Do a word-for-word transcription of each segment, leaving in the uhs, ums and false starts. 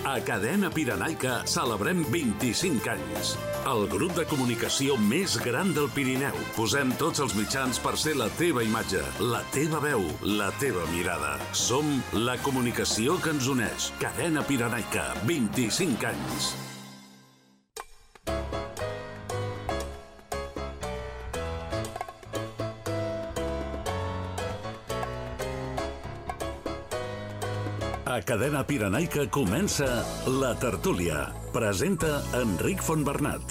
A Cadena Pirenaica celebrem vint-i-cinc anys. El grup de comunicació més gran del Pirineu. Posem tots els mitjans per ser la teva imatge, la teva veu, la teva mirada. Som la comunicació que ens uneix. Cadena Pirenaica, vint-i-cinc anys. A Cadena Pirenaica comença La Tertúlia. Presenta Enric Fontbernat.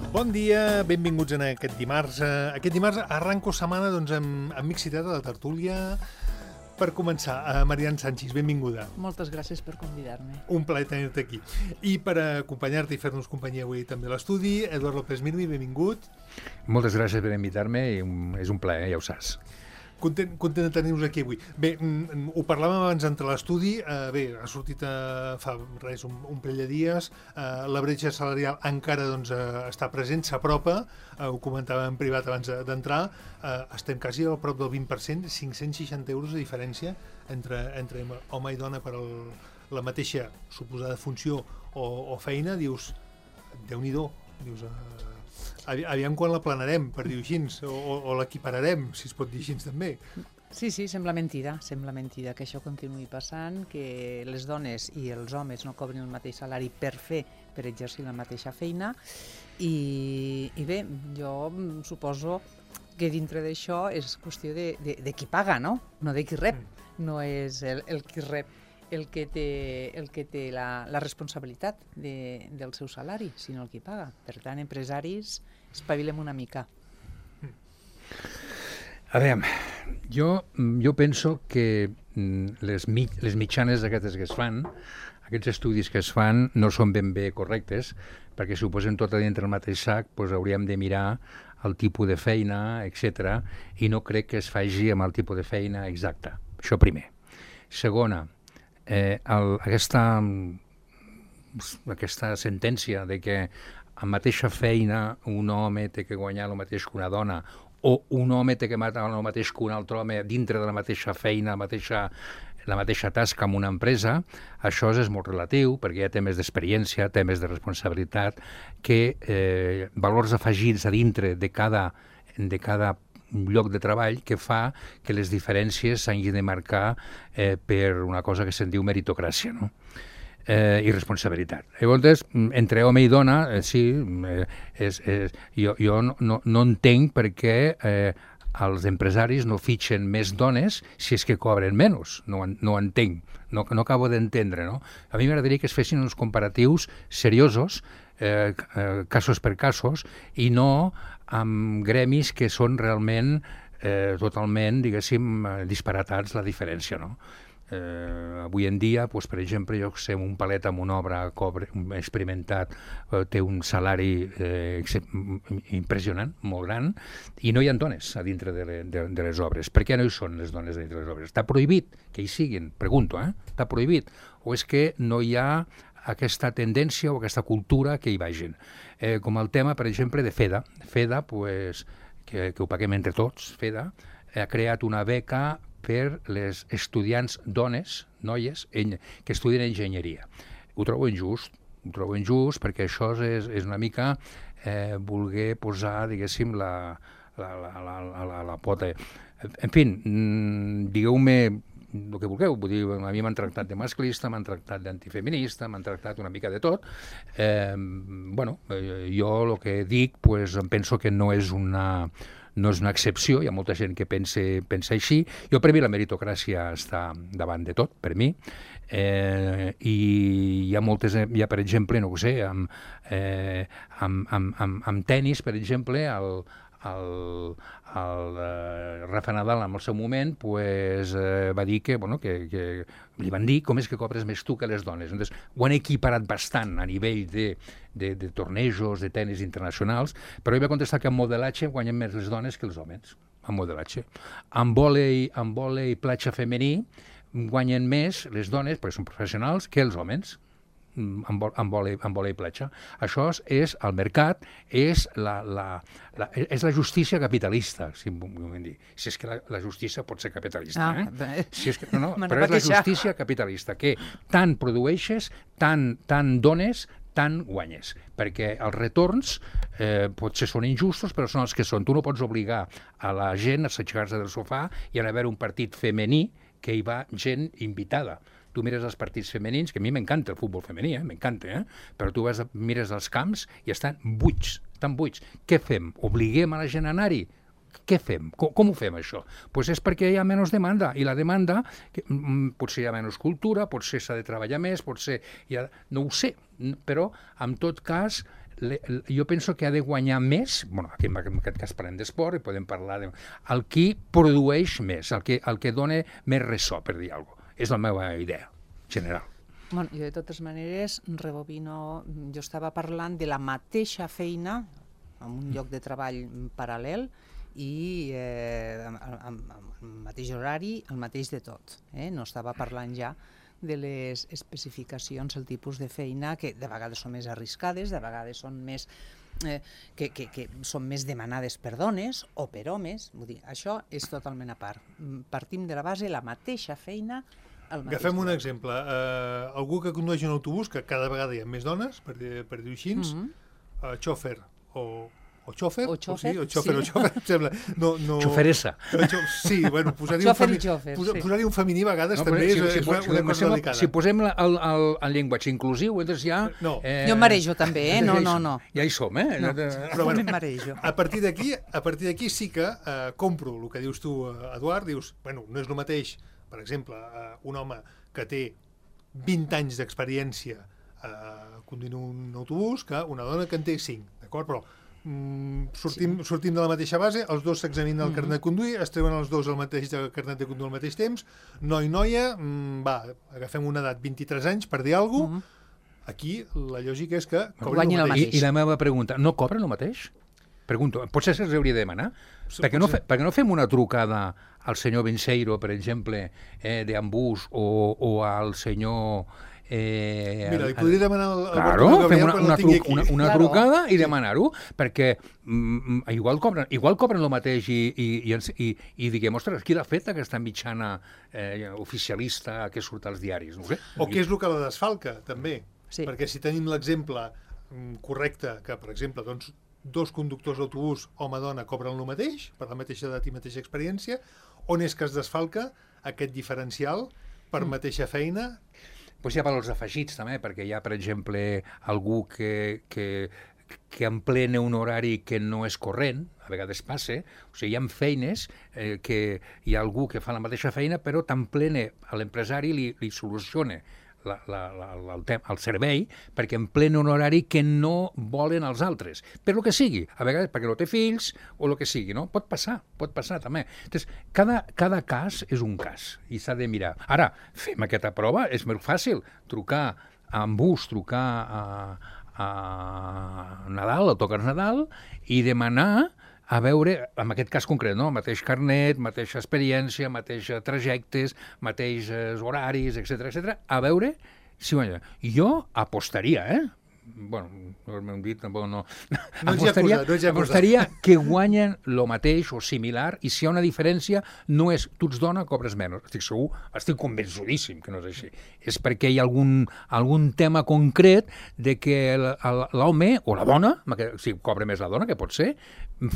Bon dia, benvinguts en aquest dimarts. Aquest dimarts arranco setmana doncs, amb, amb Mixitat a La Tertúlia. Per començar, a Marian Sanchis, benvinguda. Moltes gràcies per convidar-me. Un plaer tenir-te aquí. I per acompanyar-te i fer-nos companyia avui també a l'estudi, Eduard López Mirmi, benvingut. Moltes gràcies per invitar-me i és un plaer, ja ho saps. Content, content de tenir-vos aquí avui. Bé, mm, ho parlàvem abans d'entrar a l'estudi. Eh, bé, ha sortit eh, fa res, un, un parell de dies. Eh, la bretxa salarial encara doncs, eh, està present, s'apropa. Eh, ho comentàvem en privat abans d'entrar. Eh, estem quasi a prop del vint per cent, cinc-cents seixanta euros de diferència entre, entre home i dona per el, la mateixa suposada funció o, o feina. Dius, Déu-n'hi-do. Dius... Eh, Aviam quan la planarem, per dir-ho així, o, o, o l'equipararem, si es pot dir així també. Sí, sí, sembla mentida, sembla mentida que això continuï passant, que les dones i els homes no cobrin el mateix salari per fer, per exercir la mateixa feina, i, i bé, jo suposo que dintre d'això és qüestió de, de, de qui paga, no? No de qui rep, no és el, el qui rep el que té, el que té la, la responsabilitat de, del seu salari, sinó el qui paga. Per tant, empresaris, espavilem una mica. A veure, jo, jo penso que les, mi, les mitjanes aquestes que es fan, aquests estudis que es fan, no són ben bé correctes, perquè si ho posem tot a dintre el mateix sac, doncs hauríem de mirar el tipus de feina, etcètera, i no crec que es faci amb el tipus de feina exacte. Això primer. Segona, Eh, el, aquesta, aquesta sentència de que a mateixa feina un home té que guanyar el mateix que una dona o un home té que matar el mateix que un altre home dintre de la mateixa feina, la mateixa, la mateixa tasca en una empresa, això és molt relatiu perquè hi ha temes d'experiència, temes de responsabilitat, que eh, valors afegits a dintre de cada, de cada un lloc de treball que fa que les diferències s'hagin de marcar eh, per una cosa que se'n diu meritocràcia, no? Eh, i responsabilitat. Llavors, entre home i dona, eh, sí, eh, és, és, jo, jo no, no, no entenc per què eh, els empresaris no fitxen més dones si és que cobren menys. No, no entenc, no, no acabo d'entendre, no? A mi m'agradaria que es fessin uns comparatius seriosos, eh, eh, casos per casos, i no amb gremis que són realment eh, totalment, diguéssim, disparatats la diferència, no? Eh, avui en dia, doncs, per exemple, jo sé, un palet amb una obra cobre, experimentat, eh, té un salari eh, impressionant, molt gran, i no hi ha dones a dintre de, le, de, de les obres. Per què no hi són les dones a dintre de les obres? Està prohibit que hi siguin? Pregunto, eh? Està prohibit? O és que no hi ha aquesta tendència o aquesta cultura que hi vagin? Eh, com el tema, per exemple, de FEDA. FEDA, pues, que, que ho paguem entre tots, FEDA, ha creat una beca per les estudiants dones, noies, en, que estudien enginyeria. Ho trobo injust, ho trobo injust perquè això és, és una mica eh, voler posar, diguéssim, la, la, la, la, la, la, la pota. En fi, mm, digueu-me el que vulgueu, vull dir, a mi m'han tractat de masclista, m'han tractat d'antifeminista, m'han tractat una mica de tot. Eh, bueno, jo el que dic, pues, em penso que no és una... no és una excepció, hi ha molta gent que pensa, pensa així. Jo, per mi, la meritocràcia està davant de tot, per mi, eh, i hi ha moltes, hi ha, per exemple, no ho sé, amb, eh, amb, amb, amb, amb tenis, per exemple, el, el, el eh, Rafa Nadal en el seu moment pues, eh, va dir que, bueno, que, que li van dir com és que cobres més tu que les dones. Entonces, ho han equiparat bastant a nivell de, de, de tornejos, de tenis internacionals, però ell va contestar que en modelatge guanyen més les dones que els homes, en modelatge. En vòlei, en vòlei platja femení guanyen més les dones, perquè són professionals, que els homes. en, vol, en, vole, en vole i platja. Això és el mercat, és la, la, la, és la justícia capitalista, si em vull dir. Si és que la, la justícia pot ser capitalista, Ah, eh? Si és que, no, no, me però és la queixar. justícia capitalista, que tant produeixes, tant, tant dones, tant guanyes, perquè els retorns eh, potser són injustos, però són els que són. Tu no pots obligar a la gent a aixecar-se del sofà i a haver un partit femení que hi va gent invitada. Tu mires els partits femenins, que a mi m'encanta el futbol femení, eh? m'encanta, eh? però tu vas, mires els camps i estan buits, estan buits. Què fem? Obliguem a la gent a anar-hi? Què fem? Com, com ho fem, això? Doncs pues és perquè hi ha menys demanda, i la demanda, que, mm, potser hi ha menys cultura, potser s'ha de treballar més, potser hi ha... No ho sé, però, en tot cas, le, jo penso que ha de guanyar més, bueno, aquí en aquest cas parlem d'esport, i podem parlar de... el qui produeix més, el que, el que dona més ressò, per dir alguna cosa. És la meva idea general. Bueno, jo, de totes maneres, rebobino, jo estava parlant de la mateixa feina, en un lloc de treball paral·lel, i eh, amb el mateix horari, el mateix de tot. Eh? No estava parlant ja de les especificacions, el tipus de feina, que de vegades són més arriscades, de vegades són més, eh, que, que, que són més demanades per dones o per homes. Vull dir, això és totalment a part. Partim de la base, la mateixa feina, el mateix Agafem un lloc. exemple. Uh, algú que condueix un autobús, que cada vegada hi ha més dones, per, dir- per dir-ho així, mm Mhm. -hmm. uh, xòfer o... O xòfer? O xòfer, sí, o xòfer, sí. o xòfer, em sembla. No, no... Xoferessa. Sí, bueno, posar-hi un, Xòfer i femi... xòfer, posa- sí. posar-hi un femení a vegades No, també però és, si, si, és si, una, si, una si, cosa delicada. si posem la, el, el, el llenguatge inclusiu, llavors ja... No. Eh, Jo em marejo també, eh? No, no, no. Ja hi som, eh? No, Però bueno, em marejo. A partir d'aquí, a partir d'aquí sí que eh, compro el que dius tu, eh, Eduard, dius, bueno, no és el mateix, per exemple, eh, un home que té vint anys d'experiència eh, conduint un autobús que una dona que en té cinc, d'acord? Però mm, sortim, sí. sortim de la mateixa base, els dos s'examinen el Mhm. carnet de conduir, es treuen els dos el mateix de carnet de conduir al mateix temps, noi, noia, mm, va, agafem una edat, vint-i-tres anys, per dir alguna cosa, Mhm. aquí la lògica és que cobrin Guanyin el mateix. I, mateix. I la meva pregunta, no cobren el mateix? Pregunto, potser se'ls hauria de demanar? Sí, perquè, no potser. fe, perquè no fem una trucada al senyor Benseiro, per exemple, eh, d'Ambús, o, o al senyor... Eh, Mira, li al- podria demanar al, al Claro, Bartomeu fem Gabriel una, quan una, el tingui truc, aquí. una, una Claro. trucada i demanar-ho, perquè mm, igual, cobren, igual cobren el mateix i, i, i, ens- i, i diguem, ostres, qui l'ha fet aquesta mitjana eh, oficialista que surt als diaris? No ho sé. O què és el que la desfalca, també. Sí. Perquè si tenim l'exemple mm, correcte, que, per exemple, doncs, dos conductors d'autobús, home-dona, cobren el mateix, per la mateixa edat i mateixa experiència, on és que es desfalca aquest diferencial per mateixa feina? Pues hi ha valors afegits també, perquè hi ha, per exemple, algú que, que, que emplena un horari que no és corrent, a vegades passa, o sigui, hi ha feines eh, que hi ha algú que fa la mateixa feina, però t'emplena a l'empresari li, li soluciona la, la, la, la, el, tem, el servei perquè emplena un horari que no volen els altres, per lo que sigui, a vegades perquè no té fills o el que sigui, no? Pot passar, pot passar també. Entonces, cada, cada cas és un cas i s'ha de mirar. Ara, fem aquesta prova, és molt fàcil, trucar amb bus, trucar a, a Nadal, a Toques Nadal, i demanar a veure, en aquest cas concret, no? Mateix carnet, mateixa experiència, mateixos trajectes, mateixos horaris, etcètera, etcètera, a veure si guanya. Jo apostaria, eh? Bueno, no m'hem dit, tampoc no... No ens hi ha apostaria, acusat, no ens hi ha acusat. apostaria que guanyen el mateix o similar, i si hi ha una diferència, no és tu ets dona, cobres menys. Estic segur, estic convençudíssim que no és així. És perquè hi ha algun, algun tema concret de que el- el- l'home o la dona, si cobra més la dona, que pot ser,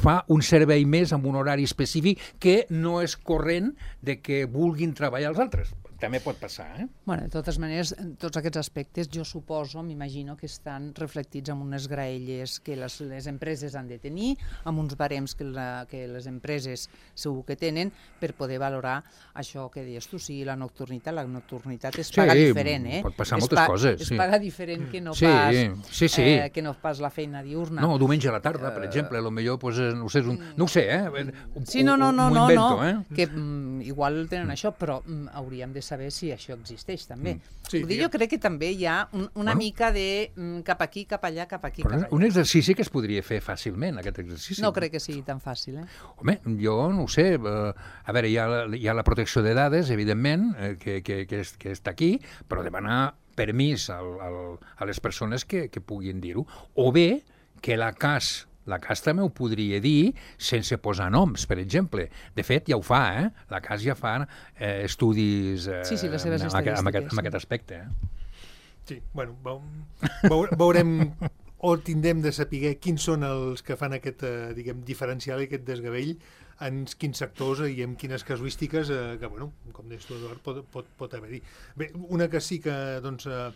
fa un servei més amb un horari específic que no és corrent de que vulguin treballar els altres. També pot passar, eh? Bueno, de totes maneres, tots aquests aspectes, jo suposo, m'imagino que estan reflectits en unes graelles que les, les empreses han de tenir, amb uns barems que, la, que les empreses segur que tenen, per poder valorar això que deies tu, sí, la nocturnitat. La nocturnitat es Sí, paga diferent, eh? pot passar es moltes coses, Es sí. paga diferent que no Sí, pas, sí, sí. Eh, que no pas la feina diurna. No, diumenge a la tarda, per exemple, a lo millor, pues, no ho sé, és un, no ho sé, eh? Ho- Sí, no, no, no, m'ho no, invento, no, eh? que mm, igual tenen això, però mm, hauríem de saber si això existeix també. Sí, Sí, Vull dir, jo crec que també hi ha un, una Bueno. mica de mm, cap aquí, cap allà, cap aquí, Però cap és allà. un exercici que es podria fer fàcilment, aquest exercici. No crec que sigui tan fàcil, eh? Home, jo no ho sé. Eh, a veure, hi ha, la- hi ha la protecció de dades, evidentment, eh, que, que, que, és, que està aquí, però demanar permís al, al, a les persones que, que puguin dir-ho. O bé que la C A S, la C A S també ho podria dir sense posar noms, per exemple. De fet, ja ho fa, eh? La C A S ja fa eh, estudis eh, sí, sí, les seves amb, aquest, amb, aquest, amb sí. aquest aspecte. Eh? Sí, bueno, veure, veurem o tindrem de saber quins són els que fan aquest, eh, diguem, diferencial i aquest desgavell en quins sectors i en quines casuístiques eh, que, bueno, com deies tu, Eduard, pot, pot, pot haver-hi. Bé, una que sí que, doncs, eh,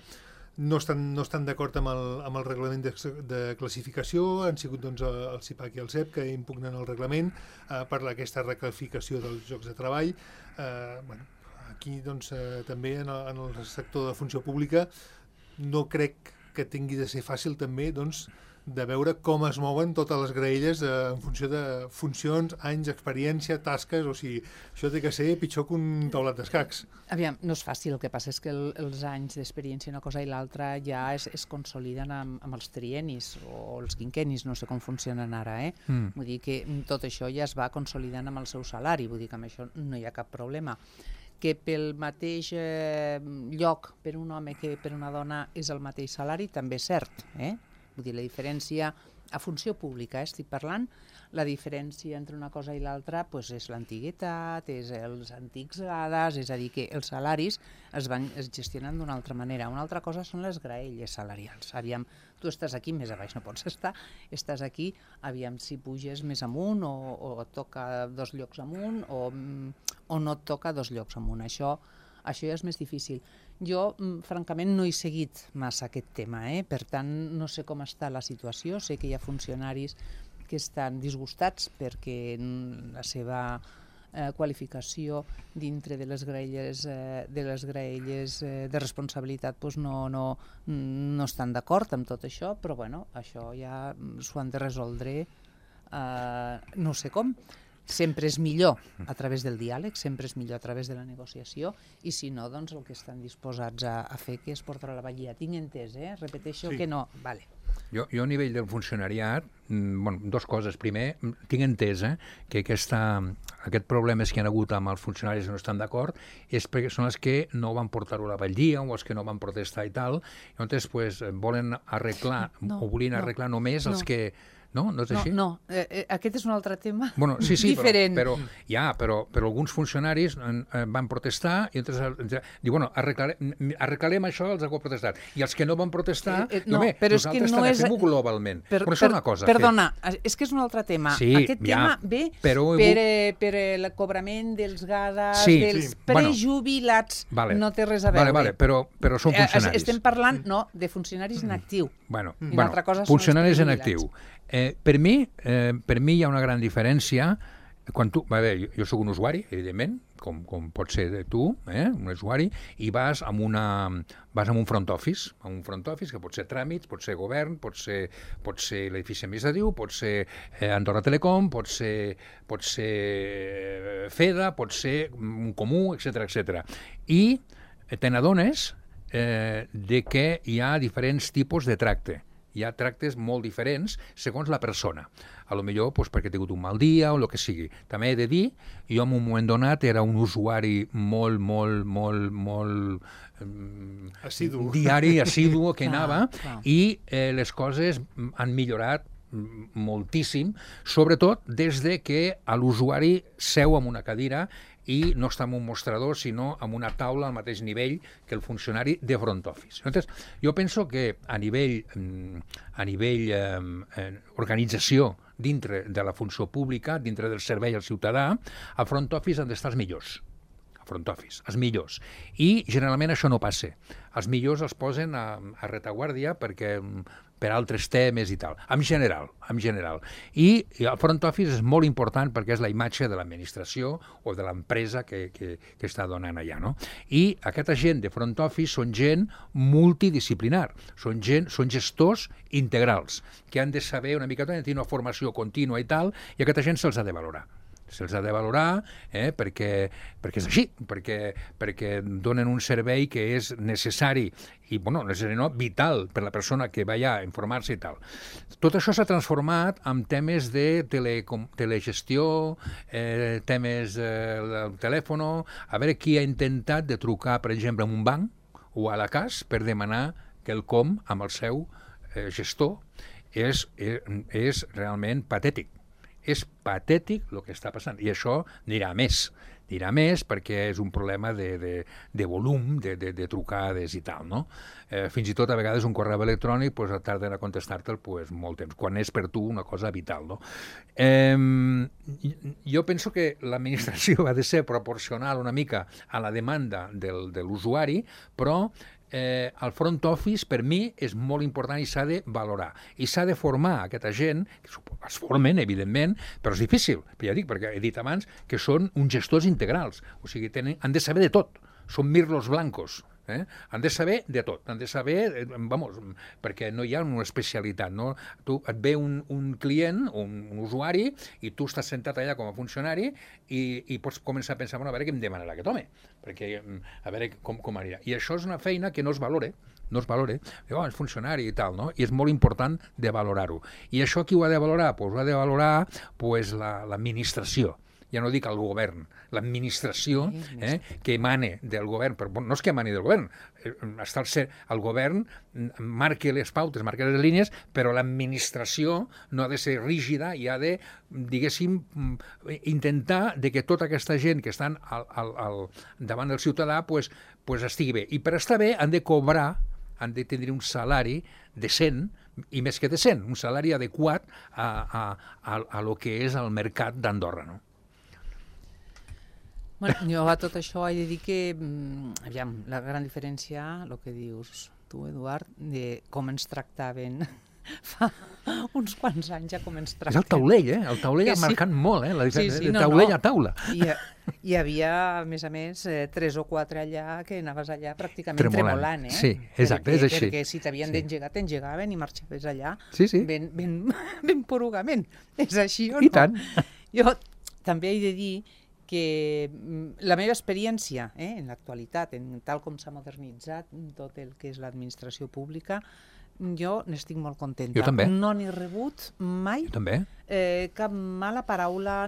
no estan, no estan d'acord amb, el, amb el reglament de, de classificació, han sigut, doncs, el CIPAC i el C E P que impugnen el reglament eh, per aquesta reclasificació dels llocs de treball. Eh, bueno, aquí, doncs, eh, també en el, en el sector de funció pública no crec que tingui de ser fàcil també, doncs, de veure com es mouen totes les graelles eh, en funció de funcions, anys, experiència, tasques, o sigui, això té que ser pitjor que un taulat d'escacs. Aviam, no és fàcil, el que passa és que el, els anys d'experiència una cosa i l'altra ja es, es consoliden amb, amb els trienis o els quinquenis, no sé com funcionen ara, eh? Mm. Vull dir que tot això ja es va consolidant amb el seu salari, vull dir que amb això no hi ha cap problema. Que pel mateix eh, lloc per un home que per una dona és el mateix salari, també és cert, eh? Vull dir, la diferència, a funció pública, eh, estic parlant, la diferència entre una cosa i l'altra pues, és l'antiguitat, és els antics gades, és a dir, que els salaris es van es gestionen d'una altra manera. Una altra cosa són les graelles salarials. Aviam, tu estàs aquí, més a baix no pots estar, estàs aquí, aviam si puges més amunt o, o et toca dos llocs amunt o, o no et toca dos llocs amunt. Això, això ja és més difícil. Jo, francament, no he seguit massa aquest tema, eh? Per tant, no sé com està la situació. Sé que hi ha funcionaris que estan disgustats perquè la seva eh, qualificació dintre de les graelles, eh, de, les graelles eh, de responsabilitat pues no, no, no estan d'acord amb tot això, però bueno, això ja s'ho han de resoldre, eh, no sé com. Sempre és millor a través del diàleg, sempre és millor a través de la negociació, i si no, doncs el que estan disposats a, a fer que és portar la vallida. Tinc entès, eh? Repeteixo sí. que no. Vale. Jo, jo a nivell del funcionariat, bueno, dos coses. Primer, tinc entès eh, que aquesta, aquest problemes que hi ha hagut amb els funcionaris que no estan d'acord és perquè són els que no van portar-ho a la Valdia o els que no van protestar i tal. Llavors, pues, volen arreglar, no, o volien arreglar no, només els no. que... No? No és així? No, no. Eh, eh, aquest és un altre tema bueno, sí, sí, diferent. Però, però, ja, però, però alguns funcionaris eh, van protestar i entonces diu, bueno, arreglarem, arreglarem això els que han protestat. I els que no van protestar, eh, eh, no, bé, però nosaltres és que no és... fem-ho globalment. Per, però això és una cosa. Perdona, fet. És que és un altre tema. Sí, Aquest ja, tema ve però... per, eh, per el cobrament dels gades, sí, dels sí. prejubilats. Bueno, vale. No té res a veure. Vale, vale, però, però són funcionaris. Estem parlant, no, de funcionaris en actiu. Bueno, I bueno cosa funcionaris en actiu. Eh, per, mi, eh, per mi hi ha una gran diferència quan tu, a veure, jo, jo soc un usuari, evidentment, com, com pot ser tu, eh, un usuari, i vas amb, una, vas amb un front office, amb un front office que pot ser tràmits, pot ser govern, pot ser, pot ser l'edifici administratiu, pot ser eh, Andorra Telecom, pot ser, pot ser FEDA, pot ser un comú, etcètera, etcètera. I te n'adones eh, de que hi ha diferents tipus de tracte. Hi ha tractes molt diferents segons la persona. A lo millor pues, perquè ha tingut un mal dia o el que sigui. També he de dir, jo en un moment donat era un usuari molt, molt, molt, molt... Um, assidu. Diari, assidu, que clar, anava, clar. i eh, les coses han millorat moltíssim, sobretot des de que l'usuari seu en una cadira i no està en un mostrador, sinó en una taula al mateix nivell que el funcionari de front office. Entonces, jo penso que a nivell, a nivell eh, organització dintre de la funció pública, dintre del servei al ciutadà, al front office han d'estar els millors. A front office, els millors. I generalment això no passa. Els millors els posen a, a retaguardia perquè per altres temes i tal, en general, en general. I el front office és molt important perquè és la imatge de l'administració o de l'empresa que, que, que està donant allà, no? I aquesta gent de front office són gent multidisciplinar, són gent, són gestors integrals, que han de saber una mica, tenir una formació contínua i tal, i aquesta gent se'ls ha de valorar. Se'ls ha de valorar eh, perquè, perquè és així, perquè, perquè donen un servei que és necessari i, bueno, necessari no, vital per la persona que va allà a informar-se i tal. Tot això s'ha transformat en temes de telecom, telegestió, eh, temes eh, del telèfon, a veure qui ha intentat de trucar, per exemple, a un banc o a la cas per demanar que el com amb el seu eh, gestor és, és, és realment patètic. És patètic el que està passant. I això anirà més. Anirà més perquè és un problema de, de, de volum, de, de, de trucades i tal, no? Eh, fins i tot a vegades un correu electrònic pues, tarden a contestar-te'l pues, molt temps, quan és per tu una cosa vital, no? Eh, jo penso que l'administració ha de ser proporcional una mica a la demanda del, de l'usuari, però eh, el front office per mi és molt important i s'ha de valorar. I s'ha de formar aquesta gent, que es formen, evidentment, però és difícil, però ja dic, perquè he dit abans que són uns gestors integrals, o sigui, tenen, han de saber de tot, són mirlos blancos. Eh? Han de saber de tot, han de saber, vamos, perquè no hi ha una especialitat, no? Tu et ve un, un client, un, un usuari, i tu estàs sentat allà com a funcionari i, i pots començar a pensar, bueno, a veure què em demanarà aquest home, perquè a veure com, com anirà. I això és una feina que no es valora, no es valora, oh, és funcionari i tal, no? I és molt important de valorar-ho. I això qui ho ha de valorar? Pues ho ha de valorar pues, la, l'administració. Ja no dic el govern, l'administració eh, que emane del govern, però no és que emani del govern, està el, ser, el govern marca les pautes, marca les línies, però l'administració no ha de ser rígida i ha de, diguéssim, intentar de que tota aquesta gent que estan al, al, al, davant del ciutadà pues, pues estigui bé. I per estar bé han de cobrar, han de tenir un salari decent, i més que decent, un salari adequat a, a, a, a lo que és el mercat d'Andorra, no? Bueno, jo a tot això he de dir que, aviam, la gran diferència, el que dius tu, Eduard, de com ens tractaven fa uns quants anys ja com ens tracten. És el taulell, eh? El taulell que ha sí. marcat molt, eh? La diferència Sí, sí, de no, taulell no. a taula. Hi, hi havia, a més a més, eh, tres o quatre allà que anaves allà pràcticament Tremolant. tremolant, eh? Sí, exacte, perquè, és així. Perquè si t'havien Sí. d'engegar, t'engegaven i marxaves allà Sí, sí. ben, ben, ben porugament. És així o no? I tant. Jo també he de dir que la meva experiència eh, en l'actualitat, en tal com s'ha modernitzat tot el que és l'administració pública, jo n'estic molt contenta. Jo també. No n'he rebut mai Jo també. eh, cap mala paraula,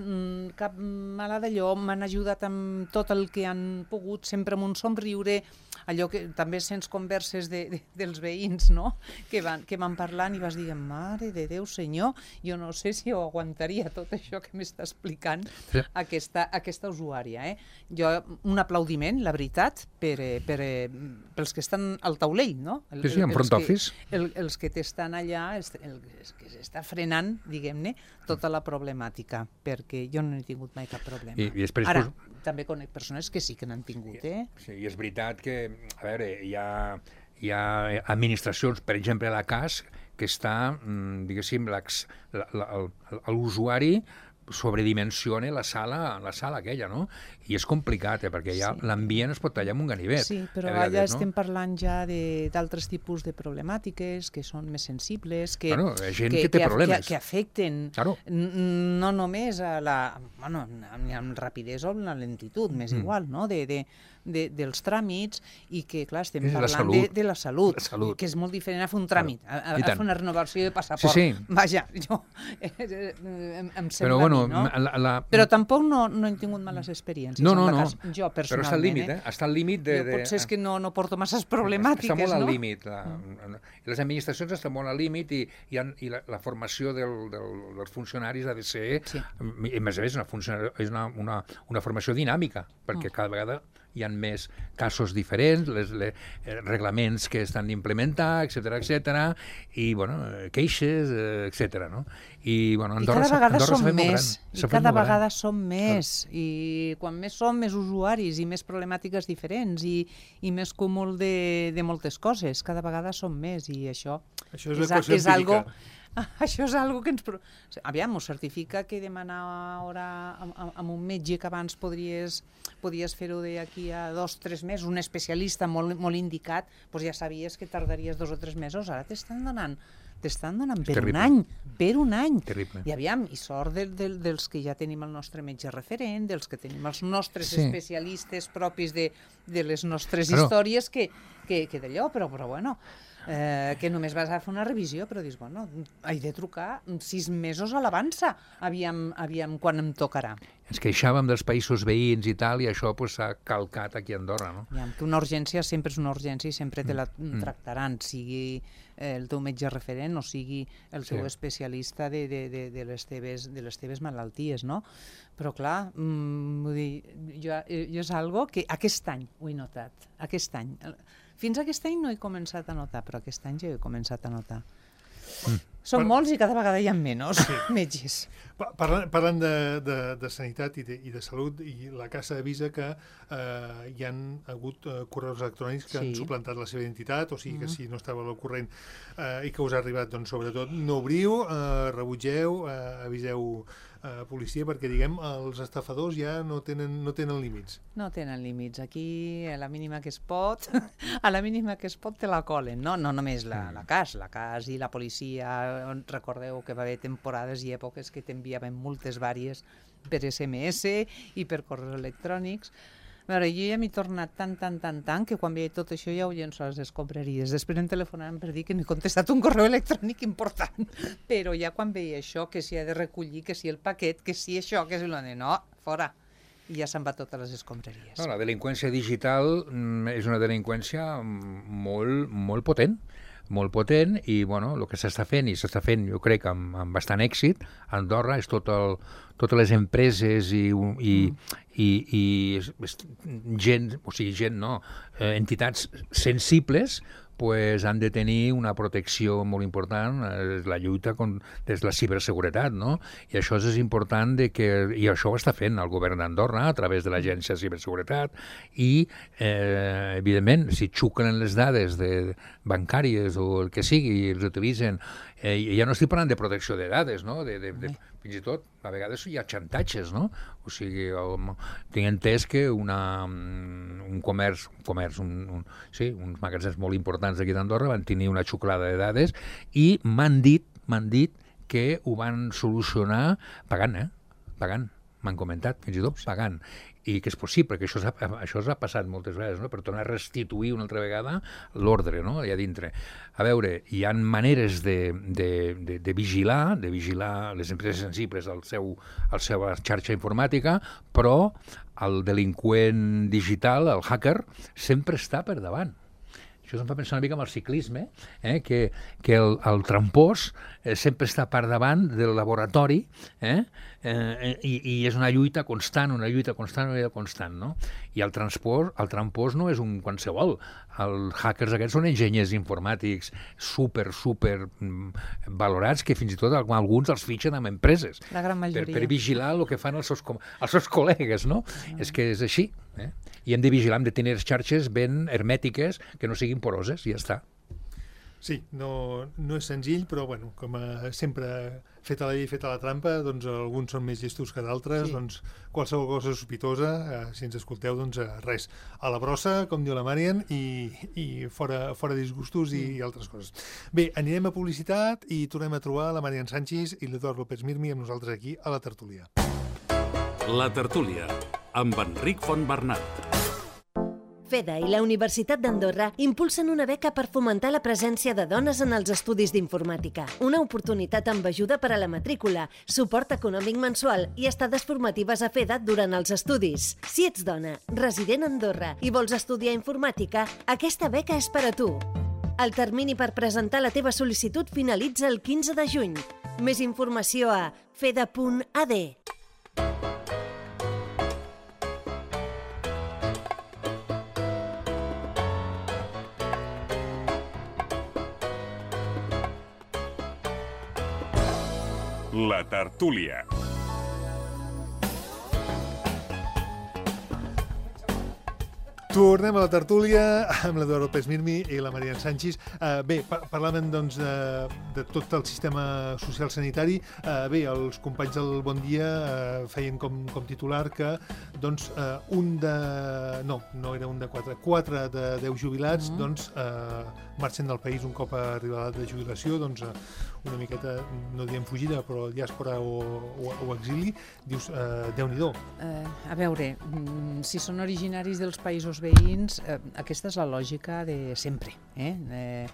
cap mala d'allò, m'han ajudat amb tot el que han pogut, sempre amb un somriure, allò que també sents converses de, de, dels veïns, no?, que van, que van parlant i vas dir, mare de Déu, senyor, jo no sé si ho aguantaria tot això que m'està explicant Sí. aquesta, aquesta usuària. Eh? Jo, un aplaudiment, la veritat, per, eh, per, eh, pels que estan al taulell, no? El, Sí, sí, en els front que- office. El, els que t'estan allà, els, el, els que s'està frenant, diguem-ne, tota la problemàtica, perquè jo no he tingut mai cap problema. I- i després, Ara, pues- també conec persones que sí que n'han tingut, eh? Sí, i és veritat que, a veure, hi ha, hi ha administracions, per exemple, la C A S, que està, diguéssim, l'ex- la- la- el- l'usuari sobredimensiona la sala, la sala aquella, no? I és complicat, eh, perquè ja Sí. l'ambient es pot tallar amb un ganivet. Sí, però a allà vegades, no? estem parlant ja de- d'altres tipus de problemàtiques que són més sensibles, que, Bueno, hi ha gent que, que té que, problemes. que, que afecten Claro. n- no només a la... Bueno, amb, amb rapidesa o amb la lentitud, m'és Mm. igual, no?, de, de, de, dels tràmits, i que, clar, estem És la parlant de, salut. de la salut, La salut. que és molt diferent a fer un tràmit, a, a, I a tant. fer una renovació de passaport. Sí, sí. Vaja, jo... em, em sembla Però, bueno, a mi, no? la, la... Però tampoc no, no he tingut males experiències. No, en no, la no. cas, jo, Però personalment. està al límit, eh? Està al límit de... Jo de... potser és que no, no porto masses problemàtiques, està molt al no? límit. La, les administracions estan molt al límit i, i, han, i la, la formació del, del, dels funcionaris ha de ser... Sí. I, a més a més, una, funcionari- és una, una, una formació dinàmica, perquè cada vegada hi ha més casos diferents, les, les eh, reglaments que estan d'implementar, etcètera, etcètera, i, bueno, eh, queixes, eh, etcètera, no? I, bueno, I Andorra, cada s'ha- vegada Andorra s'ha som fet molt més, gran. i S'ha fet cada molt gran. vegada som més, i quan més som, més usuaris, i més problemàtiques diferents, i, i més cúmul de, de moltes coses. Cada vegada som més, i això, Això és a- l'equació és algo... empírica. Això és algo que ens... pro- Aviam, ho certifica que demanar hora amb, amb- amb un metge que abans podries, podies fer-ho d'aquí a dos o tres mesos, un especialista molt, molt indicat, doncs ja sabies que tardaries dos o tres mesos, ara t'estan donant t'estan donant per Terrible. un any, per un any. Terrible. I aviam, i sort de, de, dels que ja tenim el nostre metge referent, dels que tenim els nostres Sí. especialistes propis de, de les nostres Claro. històries, que, que, que d'allò, però, però bueno, eh, que només vas a fer una revisió, però dius, bueno, he de trucar sis mesos a l'avança, aviam, aviam quan em tocarà. ens queixàvem dels països veïns i tal, i això pues, s'ha calcat aquí a Andorra, no? Ja, que una urgència sempre és una urgència i sempre te la mm. tractaran, sigui el teu metge referent o sigui el teu sí. especialista de, de, de, de, les teves, de les teves malalties, no? Però clar, mm, vull dir, jo, jo és algo que aquest any ho he notat, aquest any. Fins aquest any no he començat a notar, però aquest any ja he començat a notar. Mm. Són per... molts i cada vegada hi ha menys sí. metges. Parlant, parlant de, de, de sanitat i de, i de salut, i la Casa avisa que eh, hi han hagut eh, correus electrònics que sí. han suplantat la seva identitat, o sigui que mm. si no estava al corrent eh, i que us ha arribat, doncs sobretot no obriu, eh, rebutgeu, eh, aviseu eh, policia, perquè diguem els estafadors ja no tenen, no tenen límits. No tenen límits. Aquí a la mínima que es pot, a la mínima que es pot te la colen, no? No només la, la C A S, la C A S i la policia. Recordeu que va haver temporades i èpoques que t'enviaven multes vàries per S M S i per correus electrònics. A veure, jo ja m'he tornat tant, tant, tant, tant, que quan veia tot això ja ho llenço a les escombraries. Després em telefonaven per dir que no he contestat un correu electrònic important. Però ja quan veia això, que s'hi ha de recollir, que si el paquet, que si això, que si el... No, fora. I ja se'n va totes les escombraries. No, la delinqüència digital és una delinqüència molt, molt potent. molt potent i bueno, el que s'està fent, i s'està fent jo crec amb, amb bastant èxit a Andorra, és tot el, totes les empreses i, i, mm. i, i gent, o sigui gent no, eh, entitats sensibles pues han de tenir una protecció molt important, és la lluita con, des de la ciberseguretat, no? I això és important de que, i això ho està fent el govern d'Andorra a través de l'Agència de Ciberseguretat i, eh, evidentment, si xuclen les dades de bancàries o el que sigui i els utilitzen, eh, ja no estic parlant de protecció de dades, no? De, de, de, fins i tot, a vegades hi ha xantatges, no? O sigui, el, tinc entès que una, un comerç, un comerç un, un, sí, uns magatzems molt importants d'aquí d'Andorra van tenir una xuclada de dades i m'han dit, m'han dit que ho van solucionar pagant, eh? Pagant, m'han comentat, fins i tot pagant. I que és possible, que això s'ha, això s'ha passat moltes vegades, no? Per tornar a restituir una altra vegada l'ordre, no? Allà dintre. A veure, hi ha maneres de, de, de, de vigilar, de vigilar les empreses sensibles al seu, al seva xarxa informàtica, però el delinqüent digital, el hacker, sempre està per davant. Això em fa pensar una mica amb el ciclisme, eh? que, que el, el trampós eh, sempre està per davant del laboratori eh? Eh, i, i és una lluita constant, una lluita constant, una lluita constant, no? I el trampós, el trampós no és un qualsevol. Els hackers aquests són enginyers informàtics super, super mm, valorats, que fins i tot alguns els fitxen amb empreses. La gran majoria. Per, per vigilar el que fan els seus, els seus col·legues, no? Mm. És que és així. Eh? I hem de vigilar, hem de tenir xarxes ben hermètiques, que no siguin poroses, i ja està. Sí, no, no és senzill, però bueno, com a sempre feta la llei, feta la trampa, doncs alguns són més llestos que d'altres, sí. Doncs qualsevol cosa sospitosa, eh, si ens escolteu, doncs eh, res, a la brossa, com diu la Marian, i, i fora, fora disgustos i, i altres coses. Bé, anirem a publicitat i tornem a trobar la Marian Sánchez i l'Eduard López Mirmi amb nosaltres aquí a la tertúlia. La tertúlia, amb Enric Fontbernat. FEDA i la Universitat d'Andorra impulsen una beca per fomentar la presència de dones en els estudis d'informàtica. Una oportunitat amb ajuda per a la matrícula, suport econòmic mensual i estades formatives a FEDA durant els estudis. Si ets dona, resident a Andorra i vols estudiar informàtica, aquesta beca és per a tu. El termini per presentar la teva sol·licitud finalitza el quinze de juny. Més informació a feda punt a d. La tertúlia. Tornem a la tertúlia amb l'Eduard López Mirmi i la Marian Sánchez. Uh, bé, par parlàvem doncs, de, de tot el sistema social sanitari. Uh, bé, els companys del Bon Dia uh, feien com, com titular que doncs, uh, un de... No, no era un de quatre. Quatre de deu jubilats mm -hmm. doncs, uh, marxen del país un cop arriba l'edat de jubilació. Doncs, uh, una miqueta, no diem fugida, però diàspora o, o, o exili. Dius, uh, Déu-n'hi-do. Uh, a veure, si són originaris dels països veïns, eh, aquesta és la lògica de sempre. Eh? Eh,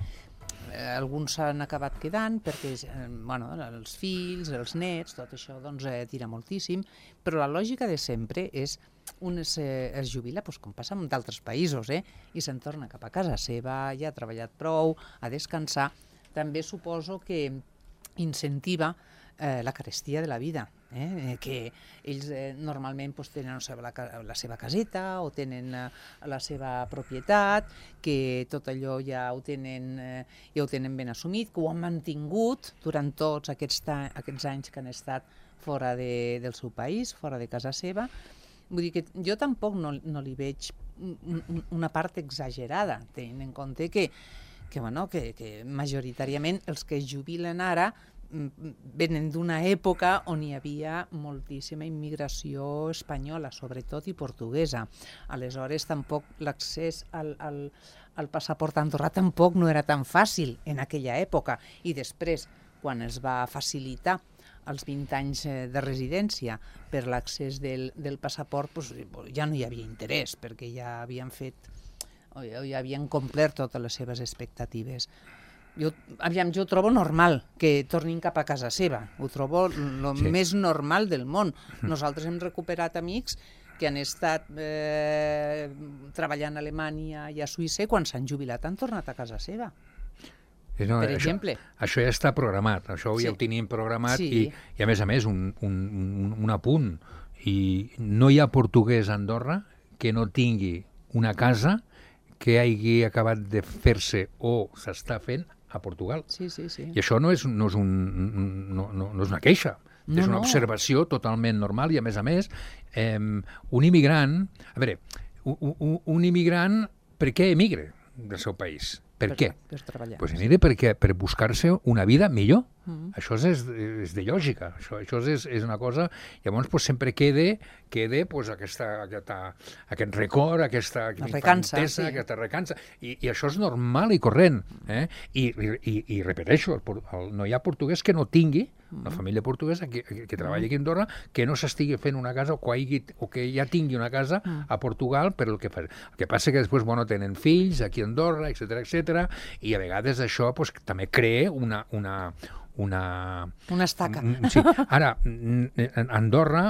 alguns s'han acabat quedant perquè eh, bueno, els fills, els nets, tot això doncs, eh, tira moltíssim, però la lògica de sempre és un es, eh, es jubila, doncs, com passa en d'altres països, eh, i se'n torna cap a casa seva, ja ha treballat prou, a descansar. També suposo que incentiva eh, la carestia de la vida, eh? Que ells eh, normalment pues, tenen la seva, la, la seva caseta o tenen eh, la seva propietat, que tot allò ja ho tenen, eh, ja ho tenen ben assumit, que ho han mantingut durant tots aquests, aquests anys que han estat fora de, del seu país, fora de casa seva. Vull dir que jo tampoc no, no li veig una part exagerada, tenint en compte que, que, bueno, que, que majoritàriament els que es jubilen ara venen d'una època on hi havia moltíssima immigració espanyola, sobretot, i portuguesa. Aleshores, tampoc l'accés al, al, al passaport andorrà tampoc no era tan fàcil en aquella època. I després, quan es va facilitar els vint anys de residència per l'accés del, del passaport, doncs, ja no hi havia interès, perquè ja havien fet, o ja havien complert totes les seves expectatives. Jo, aviam, jo trobo normal que tornin cap a casa seva. Ho trobo el sí. més normal del món. Nosaltres hem recuperat amics que han estat eh, treballant a Alemanya i a Suïssa, quan s'han jubilat han tornat a casa seva. No, per això, exemple. Això ja està programat, això sí. ja ho tenim programat sí. i, i a més a més un, un, un, un apunt. I no hi ha portuguès a Andorra que no tingui una casa que hagi acabat de fer-se o s'està fent a Portugal. Sí, sí, sí. I això no és, no és, un, no, no, no és una queixa, no, és una no. observació totalment normal i, a més a més, eh, un immigrant... A veure, un, un, un immigrant, per què emigra del seu país? Per, per què? Per treballar. Pues emigra perquè, per buscar-se una vida millor. Mm. Això és, és de lògica, això, això és, és una cosa... Llavors pues, sempre queda, queda pues, aquesta, aquesta, aquest record, aquesta recança, infantesa, sí. aquesta recança, i, i això és normal i corrent. Eh? I, i, i repeteixo, el, el, no hi ha portuguès que no tingui, una família portuguesa que, que, que treballa aquí a Andorra, que no s'estigui fent una casa o que, hagi, o que ja tingui una casa a Portugal per el que fa. El que passa que després bueno, tenen fills aquí a Andorra, etcètera, etcètera, i a vegades això pues, també crea una... una Una... una estaca. Sí. Ara, Andorra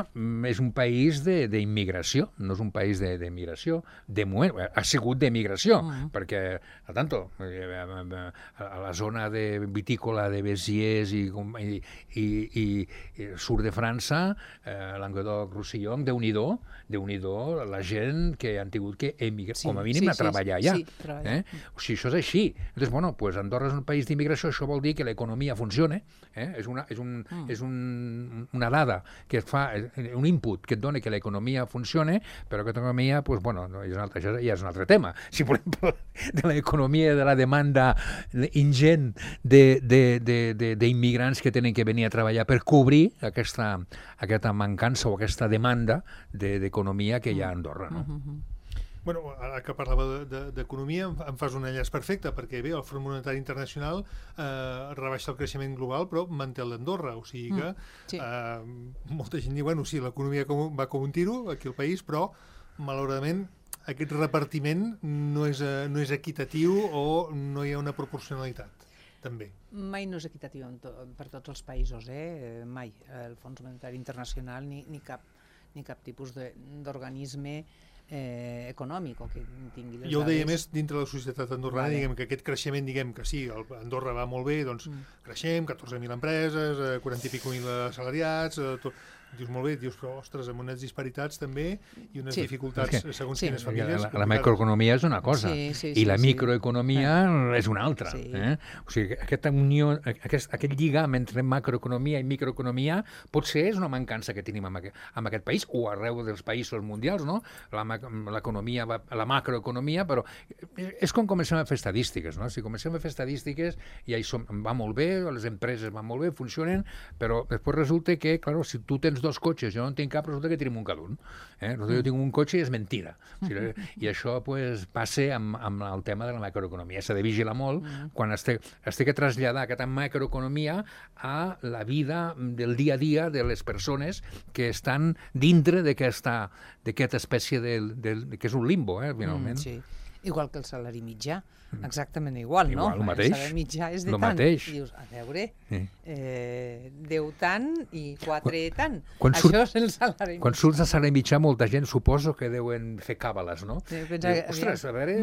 és un país d'immigració, no és un país d'emigració, de moment, ha sigut d'emigració, mm. perquè, a tanto, a la zona de vitícola de Béziers i, i, i, i sud de França, eh, Languedoc-Roussillon, Déu-n'hi-do, Déu-n'hi-do, la gent que han tingut que emigrar, sí, com a mínim, sí, a treballar allà. Sí, treballar. Eh? O sigui, això és així. Llavors, bueno, pues Andorra és un país d'immigració, això vol dir que l'economia funciona. Eh? És, una, és, un, mm. és un, una dada que et fa, un input que et dona que l'economia funciona, però aquesta economia, pues, bueno, no, és un altre, ja és un altre tema. Si volem de l'economia, de la demanda ingent d'immigrants que tenen que venir a treballar per cobrir aquesta, aquesta mancança o aquesta demanda d'economia que hi ha a Andorra. No? Mm-hmm. Bueno, ara que parlava d'economia, de, de, em fas un enllaç perfecte, perquè bé, el Fons Monetari Internacional eh, rebaixa el creixement global, però manté el d'Andorra, o sigui que mm, sí. eh, molta gent diu, bueno, sí, l'economia va com un tiro aquí al país, però malauradament aquest repartiment no és, no és equitatiu o no hi ha una proporcionalitat, també. Mai no és equitatiu to, per tots els països, eh? Mai. El Fons Monetari Internacional ni, ni, cap, ni cap tipus d'organisme Eh, econòmic o que tingui les jo ho deia dades. més dintre de la societat andorrana, vale. Diguem que aquest creixement, diguem que sí, el Andorra va molt bé, doncs mm. creixem, catorze mil empreses, eh, quaranta i pico mil assalariats, eh, tot, dius molt bé, dius, però ostres, amb unes disparitats també i unes sí. dificultats que, segons sí. quines famílies. La, la macroeconomia és una cosa sí, sí, i sí, la sí. microeconomia sí. és una altra. Sí. Eh? O sigui, aquesta unió, aquest, aquest lligam entre macroeconomia i microeconomia potser és una mancança que tenim en aquest, en aquest país o arreu dels països mundials, no? La, l'economia, la macroeconomia, però és com comencem a fer estadístiques, no? Si comencem a fer estadístiques i ja som, va molt bé, les empreses van molt bé, funcionen, però després resulta que, clar, si tu tens dos cotxes, jo no en tinc cap, resulta que tenim un cada un. Eh? Resulta que jo tinc un cotxe i és mentida. O sigui, i això pues, passa amb, amb el tema de la macroeconomia. S'ha de vigilar molt quan es té, es té que traslladar aquesta macroeconomia a la vida del dia a dia de les persones que estan dintre d'aquesta d'aquesta espècie de, de, de, que és un limbo, eh, finalment. Mm, sí. Igual que el salari mitjà, exactament igual, no? Igual, el mateix. El salari mitjà és de Lo tant. mateix. I dius, a veure, Sí. eh, deu tant i quatre tant. quan Això surt- és el salari Quan mitjà. surts de salari mitjà, molta gent suposo que deuen fer càbales, no? Sí, pensa Diu, que- ostres, a veure,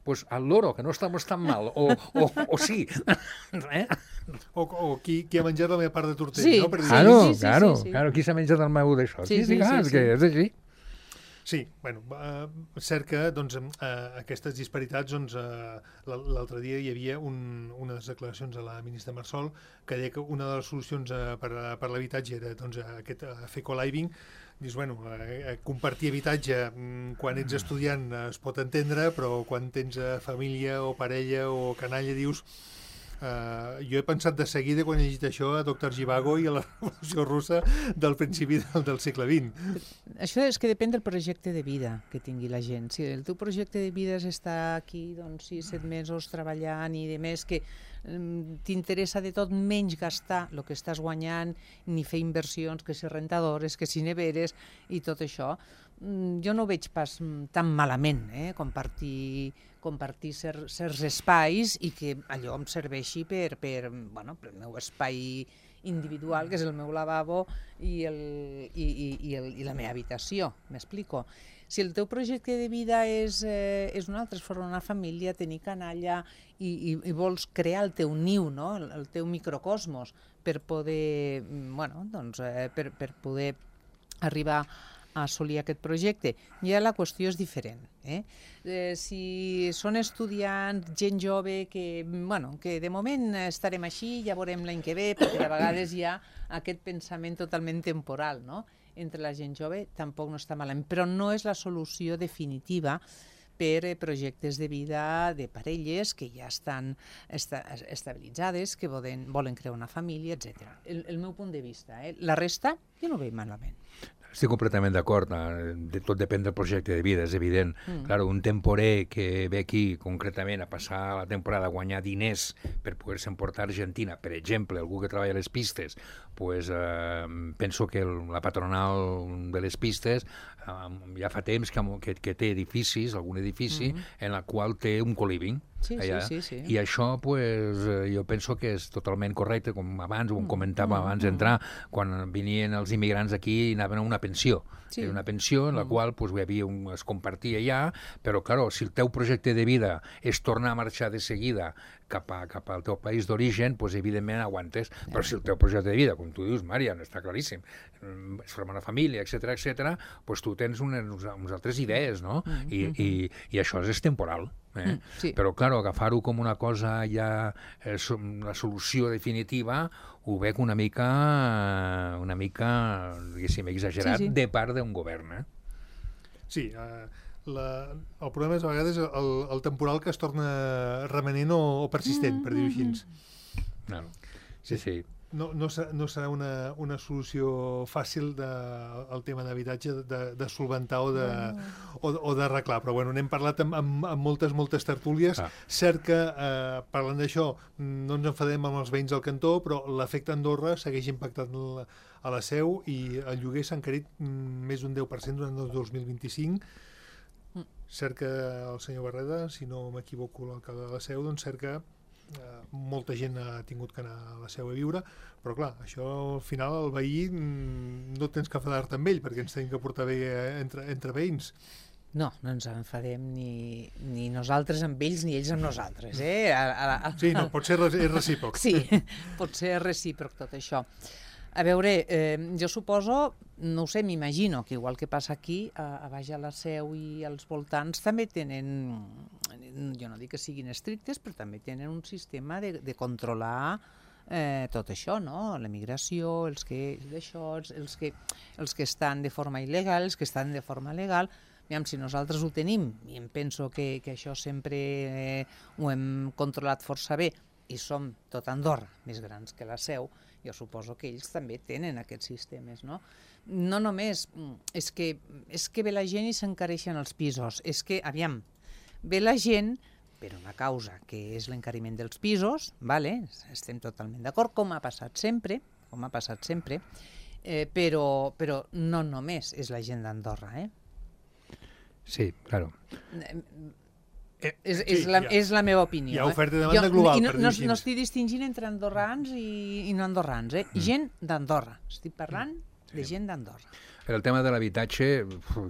pues al loro, que no estamos tan mal, o, o, o sí. eh? O, o qui, qui ha menjat la meva part de tortell, Sí, no? Per dir- sí, Claro, sí, sí, claro, sí, sí. claro, qui s'ha menjat el meu d'això? Sí, sí, clar, sí, és que sí. és així. Sí, bueno, eh, cert que doncs, eh, aquestes disparitats, doncs, eh, l- l'altre dia hi havia un, unes declaracions a la ministra Marsol que deia que una de les solucions eh, per, a- per l'habitatge era doncs, aquest eh, fer co-living. Dius, bueno, eh, compartir habitatge mm, quan ets estudiant eh, es pot entendre, però quan tens eh, família o parella o canalla dius... Uh, jo he pensat de seguida quan he llegit això a doctor Zhivago i a la Revolució Russa del principi del, del segle vint. Això és que depèn del projecte de vida que tingui la gent. Si el teu projecte de vida és estar aquí doncs, sis, set mesos treballant i de més que mm, t'interessa de tot menys gastar el que estàs guanyant, ni fer inversions, que si rentadores, que si neveres i tot això, mm, jo no ho veig pas mm, tan malament, eh? compartir, compartir cer, certs espais i que allò em serveixi per, per, bueno, per el meu espai individual, que és el meu lavabo i, el, i, i, i, el, i la meva habitació, m'explico. Si el teu projecte de vida és, eh, és un altre, és formar una família, tenir canalla i, i, i vols crear el teu niu, no? el, el teu microcosmos, per poder, mm, bueno, doncs, eh, per, per poder arribar a assolir aquest projecte, ja la qüestió és diferent. Eh? Eh, si són estudiants, gent jove, que, bueno, que de moment estarem així, ja veurem l'any que ve, perquè de vegades hi ha aquest pensament totalment temporal, no? Entre la gent jove, tampoc no està malament, però no és la solució definitiva per eh, projectes de vida de parelles que ja estan esta, estabilitzades, que volen, volen crear una família, etcètera. El, el meu punt de vista. Eh? La resta, jo no ho veig malament. Estic completament d'acord, eh, de, tot depèn del projecte de vida, és evident. Mm. Claro, un temporer que ve aquí concretament a passar la temporada a guanyar diners per poder-se emportar a Argentina, per exemple, algú que treballa a les pistes, pues, eh, penso que el, la patronal de les pistes eh, ja fa temps que, que, que té edificis, algun edifici, mm. en la qual té un co-living. Sí, allà. sí, sí, sí. I això, pues, eh, jo penso que és totalment correcte, com abans, ho comentava mm. abans d'entrar, quan venien els immigrants aquí i anaven a una pensió. Sí. Era una pensió en la mm. qual pues, hi havia un, es compartia allà, però, clar, si el teu projecte de vida és tornar a marxar de seguida cap, a, cap al teu país d'origen, pues, evidentment aguantes. Yeah. Però si el teu projecte de vida, com tu dius, Marian, està claríssim, és formar una família, etcètera, etcètera, pues tu tens unes, unes altres idees, no? Mm. I, i, I això és temporal. Eh? Mm, sí. Però, clar, agafar-ho com una cosa ja, eh, la solució definitiva, ho veig una mica, una mica, diguéssim, exagerat, sí, sí. de part d'un govern. Eh? Sí, eh, la, el problema és a vegades el, el temporal que es torna remanent o, o persistent, mm, per dir-ho així. No. Sí, sí. No, no, serà, no serà una, una solució fàcil de, el tema d'habitatge de, de solventar o de, o, o d'arreglar, però bueno, n'hem parlat amb, amb, amb moltes, moltes tertúlies. Ah. Cert que, eh, parlant d'això, no ens enfadem amb els veïns del cantó, però l'efecte Andorra segueix impactant la, a la Seu i el lloguer s'ha encarit més d'un deu per cent durant el dos mil vint-i-cinc. Mm. Cert que el senyor Barreda, si no m'equivoco, l'alcalde de la Seu, doncs cert que Uh, molta gent ha tingut que anar a la Seu a viure, però clar, això al final el veí mm, no tens que enfadar-te amb ell perquè ens tenim que portar bé entre, entre veïns. No, no ens enfadem ni, ni nosaltres amb ells ni ells amb nosaltres, eh? A, a, a... Sí, no, pot ser és recíproc. Sí, pot ser recíproc tot això. A veure, eh, jo suposo, no ho sé, m'imagino que igual que passa aquí, a, a baix a la Seu i als voltants també tenen, jo no dic que siguin estrictes, però també tenen un sistema de, de controlar eh, tot això, no? L'emigració, els que, d'això, els, que, els que estan de forma il·legal, els que estan de forma legal. Aviam, si nosaltres ho tenim, i em penso que, que això sempre eh, ho hem controlat força bé, i som tot Andorra més grans que la Seu, jo suposo que ells també tenen aquests sistemes, no? No només, és que, és que ve la gent i s'encareixen els pisos, és que, aviam, ve la gent per una causa que és l'encariment dels pisos, vale? Estem totalment d'acord, com ha passat sempre, com ha passat sempre, eh, però, però no només és la gent d'Andorra, eh? Sí, claro. Eh, és, és, la, ha, és la meva opinió. Hi ha oferta i eh? demanda jo, global, i no, per dir no, així. no estic distingint entre andorrans i, i no andorrans, eh? Mm. Gent d'Andorra. Estic parlant mm. de gent d'Andorra. Per el tema de l'habitatge,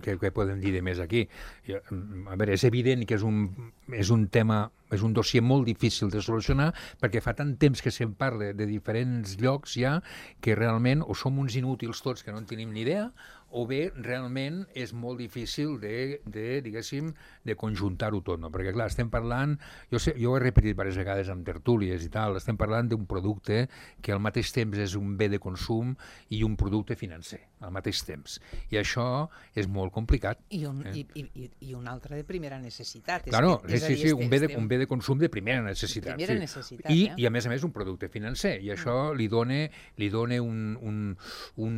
què, què podem dir de més aquí? Jo, a veure, és evident que és un, és un tema, és un dossier molt difícil de solucionar perquè fa tant temps que se'n parla de diferents llocs ja que realment o som uns inútils tots que no en tenim ni idea o bé realment és molt difícil de, de diguéssim, de conjuntar-ho tot, no? Perquè, clar, estem parlant, jo, sé, jo ho he repetit diverses vegades amb tertúlies i tal, estem parlant d'un producte que al mateix temps és un bé de consum i un producte financer, al mateix temps. I això és molt complicat. I un, eh? i, i, i un altre de primera necessitat. És claro, que, és sí, dir, sí, un bé, de, estem... un bé de consum de primera necessitat. Primera sí. necessitat, I, eh? I, a més a més, un producte financer. I això li dona, li dona un... un, un,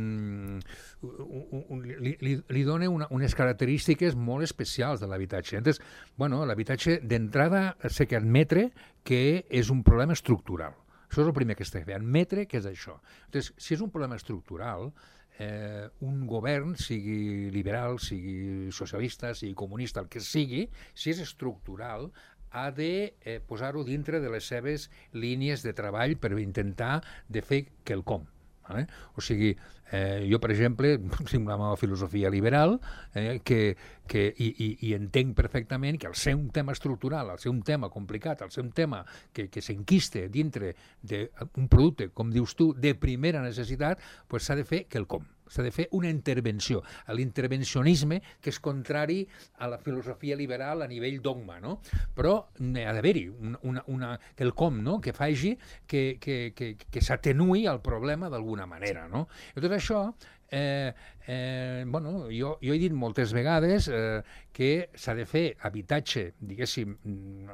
un Un, li, li, li dona una, unes característiques molt especials de l'habitatge. Entonces, bueno, l'habitatge d'entrada sé que admetre que és un problema estructural. Això és el primer que està fent, admetre que és això. Entonces, si és un problema estructural, eh, un govern, sigui liberal, sigui socialista, sigui comunista, el que sigui, si és estructural, ha de eh, posar-ho dintre de les seves línies de treball per intentar de fer quelcom. Vale? O sigui, eh, jo, per exemple, tinc una meva filosofia liberal eh, que, que, i, i, i entenc perfectament que al ser un tema estructural, al ser un tema complicat, al ser un tema que, que s'enquiste dintre d'un producte, com dius tu, de primera necessitat, pues s'ha de fer quelcom. S'ha de fer una intervenció. L'intervencionisme, que és contrari a la filosofia liberal a nivell dogma, no? Però ha d'haver-hi una, una, una, quelcom, no? Que faci que, que, que, que s'atenuï el problema d'alguna manera, no? I tot això, eh, eh, bueno, jo, jo he dit moltes vegades eh, que s'ha de fer habitatge, diguéssim,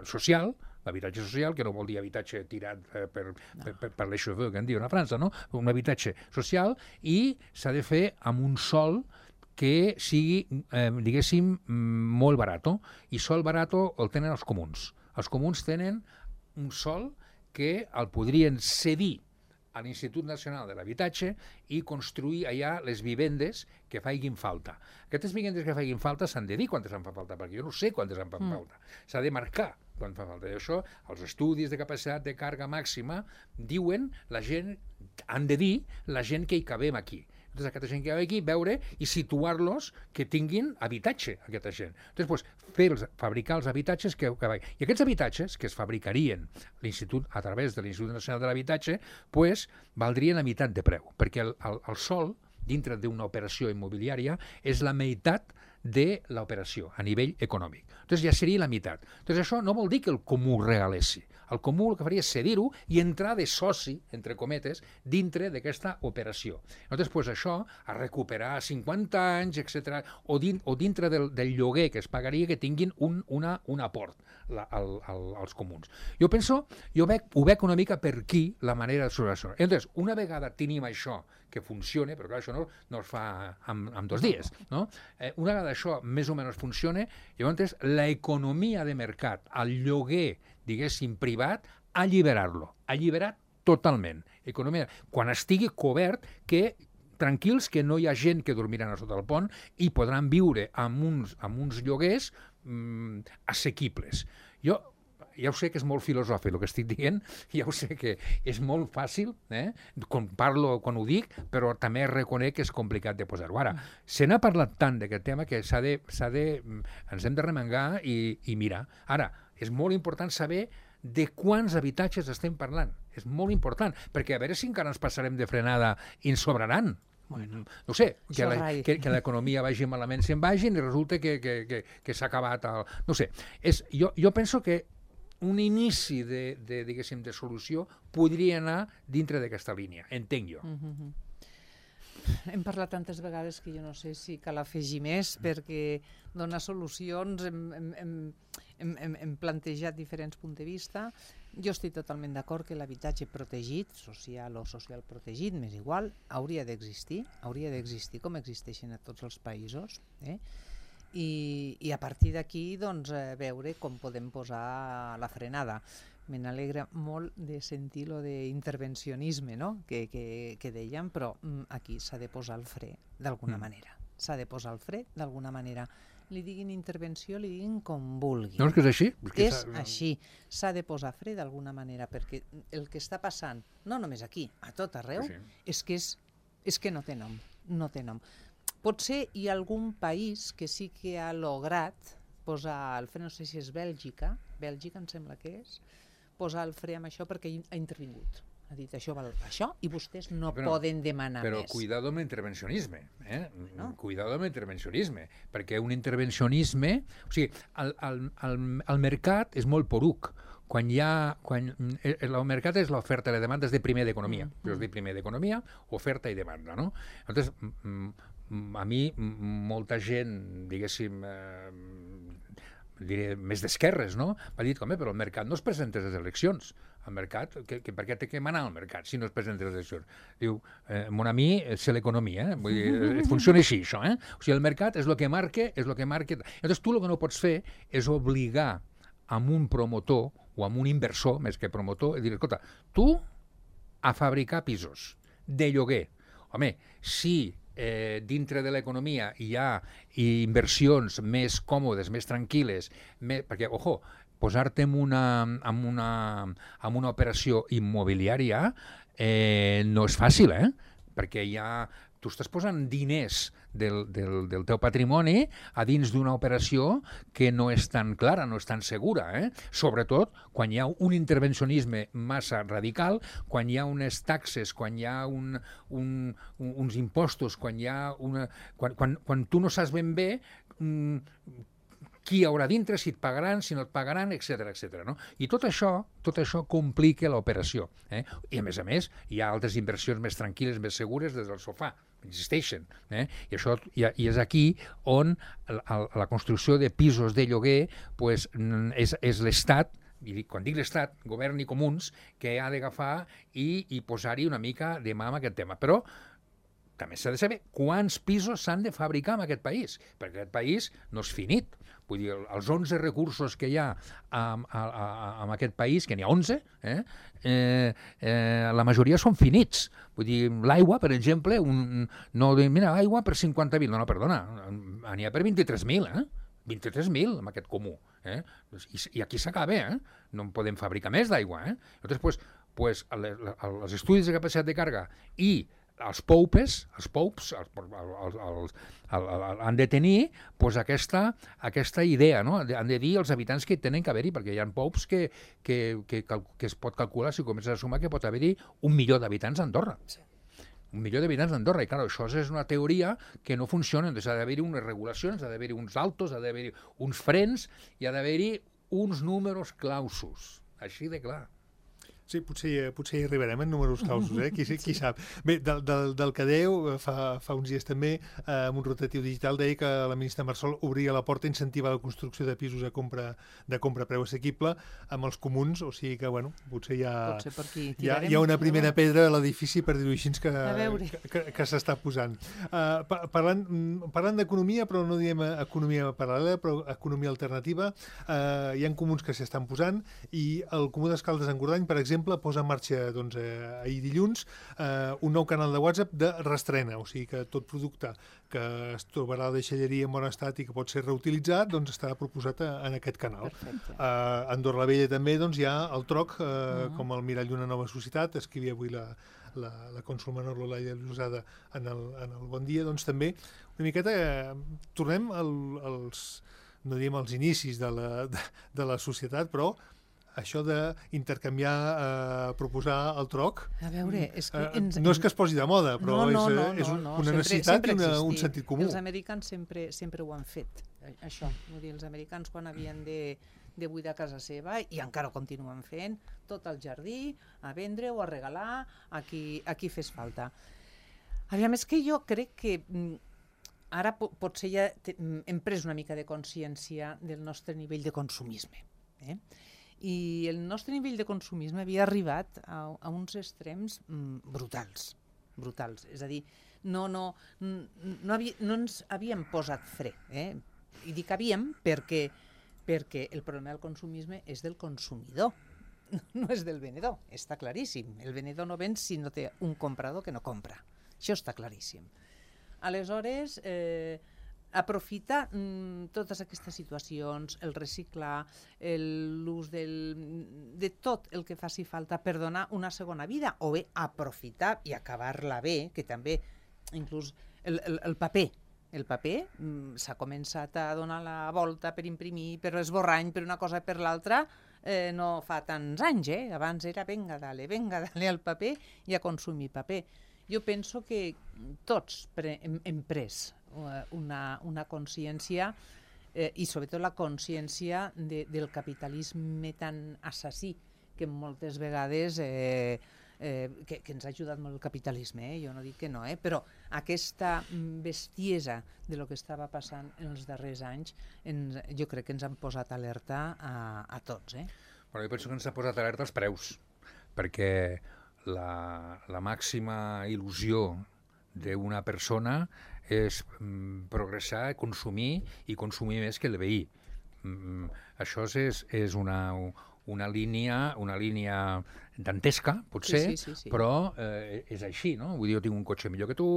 social, l'habitatge social, que no vol dir habitatge tirat per, per, per, per, per les cheveux, que en diuen a França, no? Un habitatge social, i s'ha de fer amb un sòl que sigui, eh, diguéssim, molt barat. I sòl barat el tenen els comuns. Els comuns tenen un sòl que el podrien cedir a l'Institut Nacional de l'Habitatge i construir allà les vivendes que facin falta. Aquestes vivendes que facin falta s'han de dir quantes en fa falta, perquè jo no sé quantes en fa mm. falta. S'ha de marcar quan fa falta. I això, els estudis de capacitat de càrrega màxima diuen, la gent, han de dir la gent que hi cabem aquí. Entonces, aquesta gent que hi aquí, veure i situar-los que tinguin habitatge, aquesta gent. Entonces, pues, fer els, fabricar els habitatges que, que... I aquests habitatges que es fabricarien l'institut a través de l'Institut Nacional de l'Habitatge, pues, valdrien la meitat de preu, perquè el, el, el sòl, dintre d'una operació immobiliària, és la meitat de l'operació a nivell econòmic. Entonces ja seria la meitat. Entonces això no vol dir que el comú regalessi. El comú el que faria és cedir-ho i entrar de soci, entre cometes, dintre d'aquesta operació. Entonces, pues això, a recuperar cinquanta anys, etcètera, o, din, o dintre del, del lloguer que es pagaria que tinguin un, una, un aport la, al, al, als comuns. Jo penso, jo veig, ho veig una mica per aquí la manera de solucionar. Entonces, una vegada tenim això que funcione, però clar, això no, no es fa en, en dos dies, no? Eh, una vegada això més o menys funcione, llavors l'economia de mercat, el lloguer, diguéssim, privat, alliberar-lo, alliberat totalment. Economia, quan estigui cobert, que tranquils que no hi ha gent que dormiran a sota el pont i podran viure amb uns, amb uns lloguers mm, assequibles. Jo ja ho sé que és molt filosòfic el que estic dient, ja ho sé que és molt fàcil, eh, quan parlo, quan ho dic, però també reconec que és complicat de posar-ho. Ara, se n'ha parlat tant d'aquest tema que s'ha de, s'ha de, ens hem de remengar i, i mirar. Ara, és molt important saber de quants habitatges estem parlant. És molt important, perquè a veure si encara ens passarem de frenada i ens sobraran. Bueno, no sé, que, la, que, que l'economia vagi malament se'n vagin i resulta que, que, que, que s'ha acabat el... No sé, és, jo, jo penso que un inici de, de, diguéssim, de solució podria anar dintre d'aquesta línia, entenc jo. Mm-hmm. Hem parlat tantes vegades que jo no sé si cal afegir més, perquè donar solucions hem, hem, hem, hem, hem plantejat diferents punts de vista. Jo estic totalment d'acord que l'habitatge protegit, social o social protegit, m'és igual, hauria d'existir, hauria d'existir com existeixen a tots els països, eh? I, i a partir d'aquí doncs, eh, veure com podem posar la frenada. Me n'alegra molt de sentir lo d'intervencionisme, no? que, que, que dèiem, però mm, aquí s'ha de posar el fre d'alguna mm. manera. S'ha de posar el fre d'alguna manera. li diguin intervenció, li diguin com vulguin. No, és que és així. És així. S'ha de posar fre d'alguna manera, perquè el que està passant, no només aquí, a tot arreu, Sí. és que, és, és que no té nom. No té nom. Potser hi ha algun país que sí que ha lograt posar el fre, no sé si és Bèlgica, Bèlgica em sembla que és, posar el fre amb això perquè ha intervingut. Ha dit, això val això, i vostès no Però- poden demanar Però més. cuidado amb l'intervencionisme, eh? No. Cuidado amb l'intervencionisme, perquè un intervencionisme... O sigui, el, el, el, el mercat és molt poruc. Quan hi ha... Quan, el, el mercat és l'oferta i la demanda, és de primer d'economia. Mm. Jo es dic primer d'economia, oferta i demanda, no? Llavors, a mi, molta gent, diguéssim, eh, diré, més d'esquerres, no? M'ha dit, home, però el mercat no es presenta a les eleccions. El mercat, que, que per què té que manar el mercat si no es presenta a les eleccions? Diu, eh, mon ami, c'est l'economia, eh? Vull dir, eh, funciona així, això, eh? O sigui, el mercat és el que marca, és el que marca... Llavors, tu el que no pots fer és obligar amb un promotor o amb un inversor, més que promotor, i dir, escolta, tu a fabricar pisos de lloguer. Home, si eh, dintre de l'economia hi ha inversions més còmodes, més tranquil·les, més, perquè, ojo, posar-te en una, en una, en una operació immobiliària eh, no és fàcil, eh? Perquè hi ha, tu estàs posant diners del, del, del teu patrimoni a dins d'una operació que no és tan clara, no és tan segura, eh? Sobretot quan hi ha un intervencionisme massa radical, quan hi ha unes taxes, quan hi ha un, un, un, uns impostos, quan hi ha una... Quan, quan, quan tu no saps ben bé mm, qui hi haurà dintre, si et pagaran, si no et pagaran, etcètera, etcètera, no? I tot això, tot això complica l'operació, eh? I a més a més, hi ha altres inversions més tranquil·les, més segures des del sofà, existeixen, eh? I això i, i és aquí on la, la construcció de pisos de lloguer pues, és, és l'Estat, i dic, quan dic l'Estat, govern i comuns, que ha d'agafar i, i posar-hi una mica de mà en aquest tema. Però també s'ha de saber quants pisos s'han de fabricar en aquest país, perquè aquest país no és finit. Vull dir, els onze recursos que hi ha en, en aquest país, que n'hi ha onze, eh, eh, eh, la majoria són finits. Vull dir, l'aigua, per exemple, un, no dir, mira, aigua per cinquanta mil, no, no, perdona, n'hi ha per vint-i-tres mil, eh? vint-i-tres mil amb aquest comú. Eh? I, I aquí s'acaba, eh? No en podem fabricar més d'aigua. Eh? Llavors, pues, pues, els estudis de capacitat de càrrega i els poupes, els poups, els, els, els, els, els, han de tenir pues, aquesta, aquesta idea, no? Han de dir els habitants que tenen que haver-hi, perquè hi ha poups que, que, que, que es pot calcular, si comences a sumar, que pot haver-hi un milió d'habitants a Andorra. Sí. Un milió d'habitants d'Andorra, i clar, això és una teoria que no funciona, doncs ha d'haver-hi unes regulacions, ha d'haver-hi uns altos, ha d'haver-hi uns frens, i ha d'haver-hi uns números clausos, així de clar. Sí, potser, potser hi arribarem en números clausos, eh? Qui, qui sap. Bé, del, del, del que dèieu, fa, fa uns dies també, eh, amb un rotatiu digital, deia que la ministra Marsol obria la porta a incentivar la construcció de pisos a compra, de compra a preu assequible amb els comuns, o sigui que, bueno, potser hi ha, potser per aquí hi ha, hi ha una primera pedra a l'edifici, per dir-ho així, que, que, que, que s'està posant. Uh, parlant parlant d'economia, però no diem economia paral·lela, però economia alternativa, uh, hi ha comuns que s'estan posant, i el Comú d'Escaldes en Gordany, per exemple, posa en marxa doncs, eh, ahir dilluns eh, un nou canal de WhatsApp de restrena, o sigui que tot producte que es trobarà a la deixalleria en bon estat i que pot ser reutilitzat doncs estarà proposat a, en aquest canal. Eh, a Andorra la Vella també doncs, hi ha el troc, eh, uh-huh. com el mirall d'una nova societat, escrivia avui la, la, la cònsol menor Lolaia Llusada en el, en el Bon Dia, doncs també una miqueta eh, tornem al, als, no diem als inicis de la, de, de la societat, però això d'intercanviar, eh, proposar el troc, a veure, és que ens... eh, no és que es posi de moda, però no, no, és, no, és no, un, no. una sempre, necessitat sempre i una, un sentit comú. Els americans sempre, sempre ho han fet, això. Vull dir, els americans quan havien de, de buidar casa seva, i encara ho continuen fent, tot el jardí, a vendre o a regalar a qui, a qui fes falta. Aviam, és que jo crec que ara potser ja hem pres una mica de consciència del nostre nivell de consumisme, eh? I el nostre nivell de consumisme havia arribat a, a uns extrems mm, brutals, brutals. És a dir, no, no, no, havia, no ens havíem posat fre. Eh? I dic havíem perquè, perquè el problema del consumisme és del consumidor, no és del venedor, està claríssim. El venedor no ven si no té un comprador que no compra. Això està claríssim. Aleshores, eh, aprofitar mm, totes aquestes situacions, el reciclar, l'ús de tot el que faci falta per donar una segona vida, o bé aprofitar i acabar-la bé, que també inclús el, el, el paper, el paper mm, s'ha començat a donar la volta per imprimir, per esborrany, per una cosa per l'altra, eh, no fa tants anys, eh? Abans era venga, dale, venga, dale al paper i a consumir paper. Jo penso que tots pre hem, hem pres una, una consciència eh, i sobretot la consciència de, del capitalisme tan assassí que moltes vegades eh, eh, que, que ens ha ajudat molt el capitalisme, eh? Jo no dic que no, eh? Però aquesta bestiesa de lo que estava passant en els darrers anys ens, jo crec que ens han posat alerta a, a tots. Eh? Bueno, jo penso que ens ha posat alerta els preus, perquè la, la màxima il·lusió d'una persona és mm, progressar, consumir i consumir més que el veí. Mm, això és, és una, una línia, una línia dantesca, potser, sí, sí, sí, sí. però eh, és així, no? Vull dir, jo tinc un cotxe millor que tu,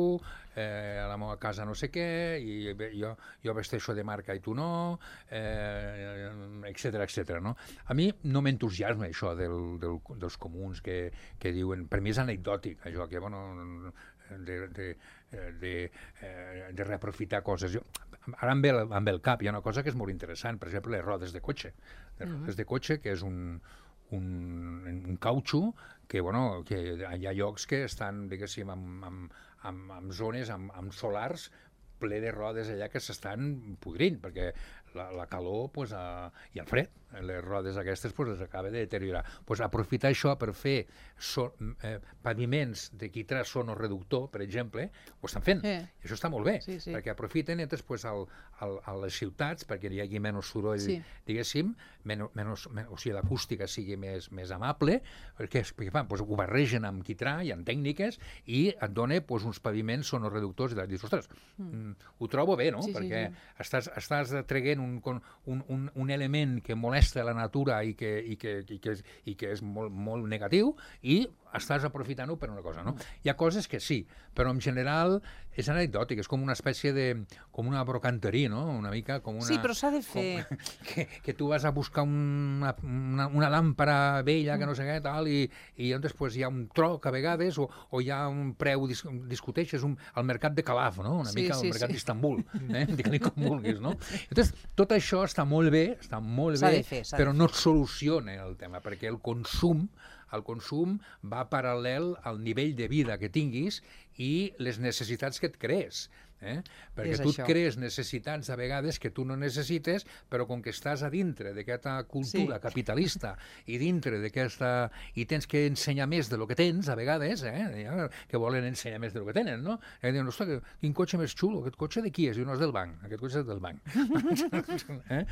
eh, a la meva casa no sé què, i jo, jo vesteixo de marca i tu no, eh, etcètera, etcètera, no? A mi no m'entusiasma això del, del, dels comuns que, que diuen, per mi és anecdòtic, això, que, bueno, de, de, de, de reaprofitar coses. Jo, ara em ve, em ve el cap, hi ha una cosa que és molt interessant, per exemple, les rodes de cotxe. Les mm-hmm. rodes de cotxe, que és un, un, un cautxo que, bueno, que hi ha llocs que estan, diguéssim, amb, amb, amb, amb zones, amb, amb solars, ple de rodes allà que s'estan podrint, perquè la, la calor pues, a, i el fred, les rodes aquestes pues, es acaba de deteriorar. Pues, aprofitar això per fer so, eh, paviments de quitrà sonoreductor, per exemple, ho estan fent. Eh. I això està molt bé, sí, sí. perquè aprofiten entres, pues, al, al, a les ciutats perquè hi hagi menys soroll, sí. diguéssim, menys, menys, menys, o sigui, l'acústica sigui més, més amable, perquè, perquè fan, pues, ho barregen amb quitrà i amb tècniques i et dona pues, uns paviments sonoreductors i dius, ostres, mm. ho trobo bé, no? Sí, perquè sí, sí. estàs, estàs traient un, un, un, un element que molesta la natura i que, i que, i que, és, i que és molt, molt negatiu i estàs aprofitant-ho per una cosa, no? Hi ha coses que sí, però en general és anecdòtic, és com una espècie de... com una brocanteria, no? Una mica com una... Sí, però s'ha de fer... Com, que, que tu vas a buscar una, una, una làmpara vella, que no sé què, tal, i, i llavors pues, hi ha un troc a vegades, o, o hi ha un preu, dis, discuteixes, un, el mercat de Calaf, no? Una sí, mica sí, el mercat sí. d'Istanbul, eh? Digue-li com vulguis, no? Llavors, tot això està molt bé, està molt bé, fer, però no soluciona el tema, perquè el consum el consum va paral·lel al nivell de vida que tinguis i les necessitats que et crees. Eh? Perquè és tu això. et crees necessitats a vegades que tu no necessites, però com que estàs a dintre d'aquesta cultura Sí. capitalista i dintre d'aquesta... i tens que ensenyar més de lo que tens, a vegades, eh? que volen ensenyar més de lo que tenen, no? I diuen, ostres, quin cotxe més xulo, aquest cotxe de qui és? I no és del banc, aquest cotxe és del banc. eh?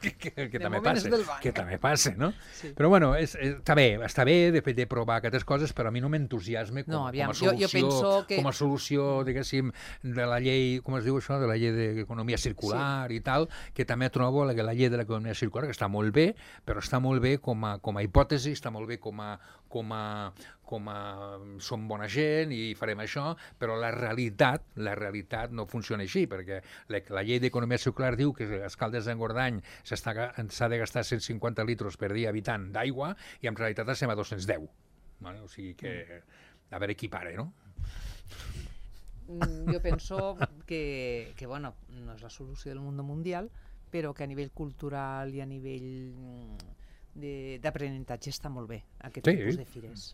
que, que, que també passa, que també passa, no? Sí. Però bueno, és, és, està bé, està bé de, de provar aquestes coses, però a mi no m'entusiasma com, No, aviam, com a solució, jo, jo penso que... com a solució, diguéssim, de la llei, com es diu això, de la llei d'economia circular sí. i tal, que també trobo la, la llei de l'economia circular, que està molt bé, però està molt bé com a, com a hipòtesi, està molt bé com a, com a, com a som bona gent i farem això, però la realitat, la realitat no funciona així, perquè la, la llei d'economia circular diu que a Escaldes d'Engordany s'ha de gastar cent cinquanta litres per dia habitant d'aigua i en realitat estem a dos-cents deu. Vale? O sigui que, a veure qui pare, no? Jo penso que, que bueno, no és la solució del món mundial, però que a nivell cultural i a nivell d'aprenentatge està molt bé aquest sí. tipus de fires.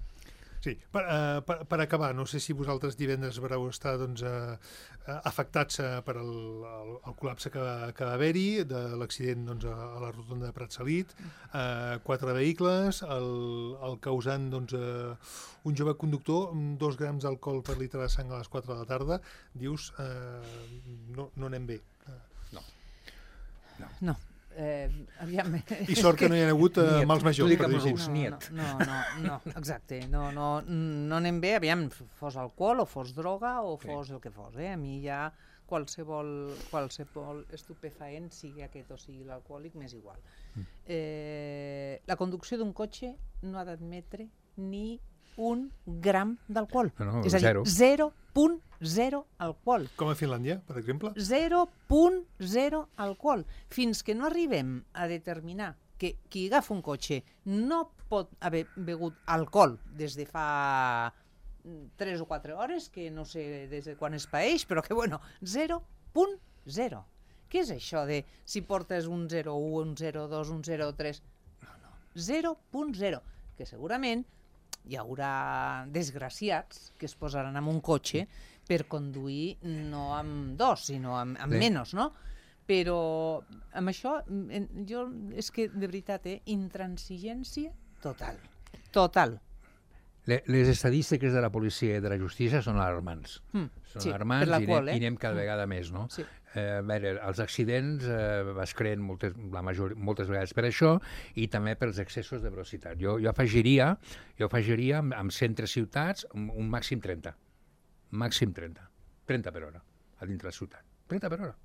Sí, per, uh, per, per acabar, no sé si vosaltres divendres vareu estar doncs, uh, uh, afectats uh, per el, el, el col·lapse que, que va haver-hi, de l'accident doncs, a, a la rotonda de Pratsalit, uh, quatre vehicles, el, el causant doncs, uh, un jove conductor amb dos grams d'alcohol per litre de sang a les quatre de la tarda, dius, uh, no, no anem bé. No. No. no. Eh, aviam, I sort que no hi ha hagut uh, mals majors. Per no, no, no, no, no, exacte, no, no, no anem bé, aviam, fos alcohol o fos droga o fos sí. el que fos, eh? A mi ja qualsevol, qualsevol estupefaent, sigui aquest o sigui l'alcohòlic, m'és igual. Eh, la conducció d'un cotxe no ha d'admetre ni un gram d'alcohol. No, no, és a dir, zero. zero punt zero alcohol. Com a Finlàndia, per exemple? zero punt zero alcohol. Fins que no arribem a determinar que qui agafa un cotxe no pot haver begut alcohol des de fa tres o quatre hores, que no sé des de quan es paeix, però que, bueno, zero punt zero. Què és això de si portes un zero coma u, un zero coma dos, un zero coma tres? No, no, zero punt zero, que segurament hi haurà desgraciats que es posaran en un cotxe per conduir no amb dos, sinó amb, amb Sí. menys, no? Però amb això, jo és que, de veritat, eh, intransigència total. Total. Le- Les estadístiques de la policia i de la justícia són alarmants. Mm, Són sí, alarmants per la i, qual, anem, eh? i anem cada Mm. vegada més, no? Sí. Eh, a veure, els accidents eh, es creen moltes, la major, moltes vegades per això i també pels excessos de velocitat. Jo, jo afegiria, jo afegiria amb, amb centres ciutats un, un màxim trenta. Màxim trenta. trenta per hora a dintre la ciutat. trenta per hora.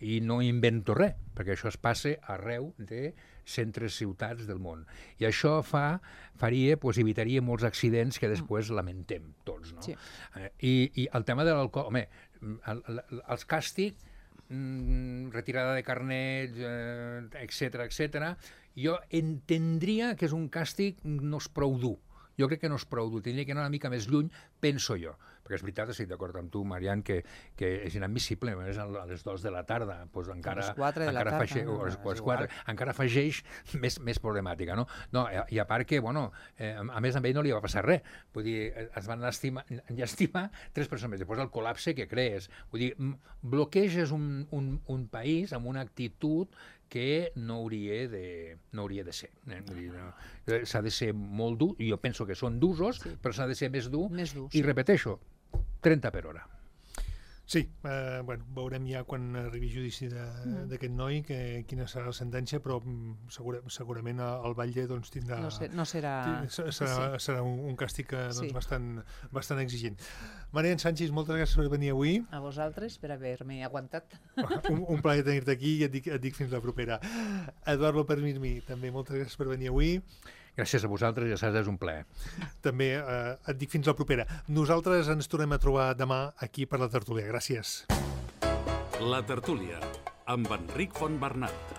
I no invento res, perquè això es passa arreu de centres ciutats del món. I això fa, faria, doncs, evitaria molts accidents que després lamentem tots, no? Sí. Eh, i, I el tema de l'alcohol, home, el, el, els càstigs, mm, retirada de carnets, eh, etcètera, etcètera, jo entendria que és un càstig no és prou dur. Jo crec que no és prou dur, tindria que anar una mica més lluny, penso jo. Perquè és veritat, estic d'acord amb tu, Marian, que, que és inadmissible, a més, a les dues de la tarda, doncs encara, A les quatre de la encara tarda, afegeix, no, o a les és quatre, igual. encara afegeix més, més problemàtica, no? No, i a part que, bueno, eh, a més a ell no li va passar res, vull dir, es van lastimar, llàstima tres persones, després el col·lapse que crees, vull dir, m- bloqueges un, un, un país amb una actitud que no hauria de, no hauria de ser. Eh? Vull dir, no, eh, s'ha de ser molt dur, i jo penso que són d'usos, sí. però s'ha de ser més dur, Més dur, i sí. repeteixo, trenta per hora. Sí, eh, bueno, veurem ja quan arribi judici d'aquest noi que, quina serà la sentència, però mm, segura, segurament el Batlle doncs, tindrà... No, ser, no serà... Ti- Serà, sí. serà un, un càstig que, doncs, Sí. bastant, bastant exigent. Marian Sánchez, moltes gràcies per venir avui. A vosaltres per haver-me aguantat. Un, un plaer tenir-te aquí i et dic, et dic fins la propera. Eduard López Mirmi, també moltes gràcies per venir avui. Gràcies a vosaltres, ja saps, és un plaer. També eh, et dic fins la propera. Nosaltres ens tornem a trobar demà aquí per la tertúlia. Gràcies. La tertúlia, amb Enric Fontbernat.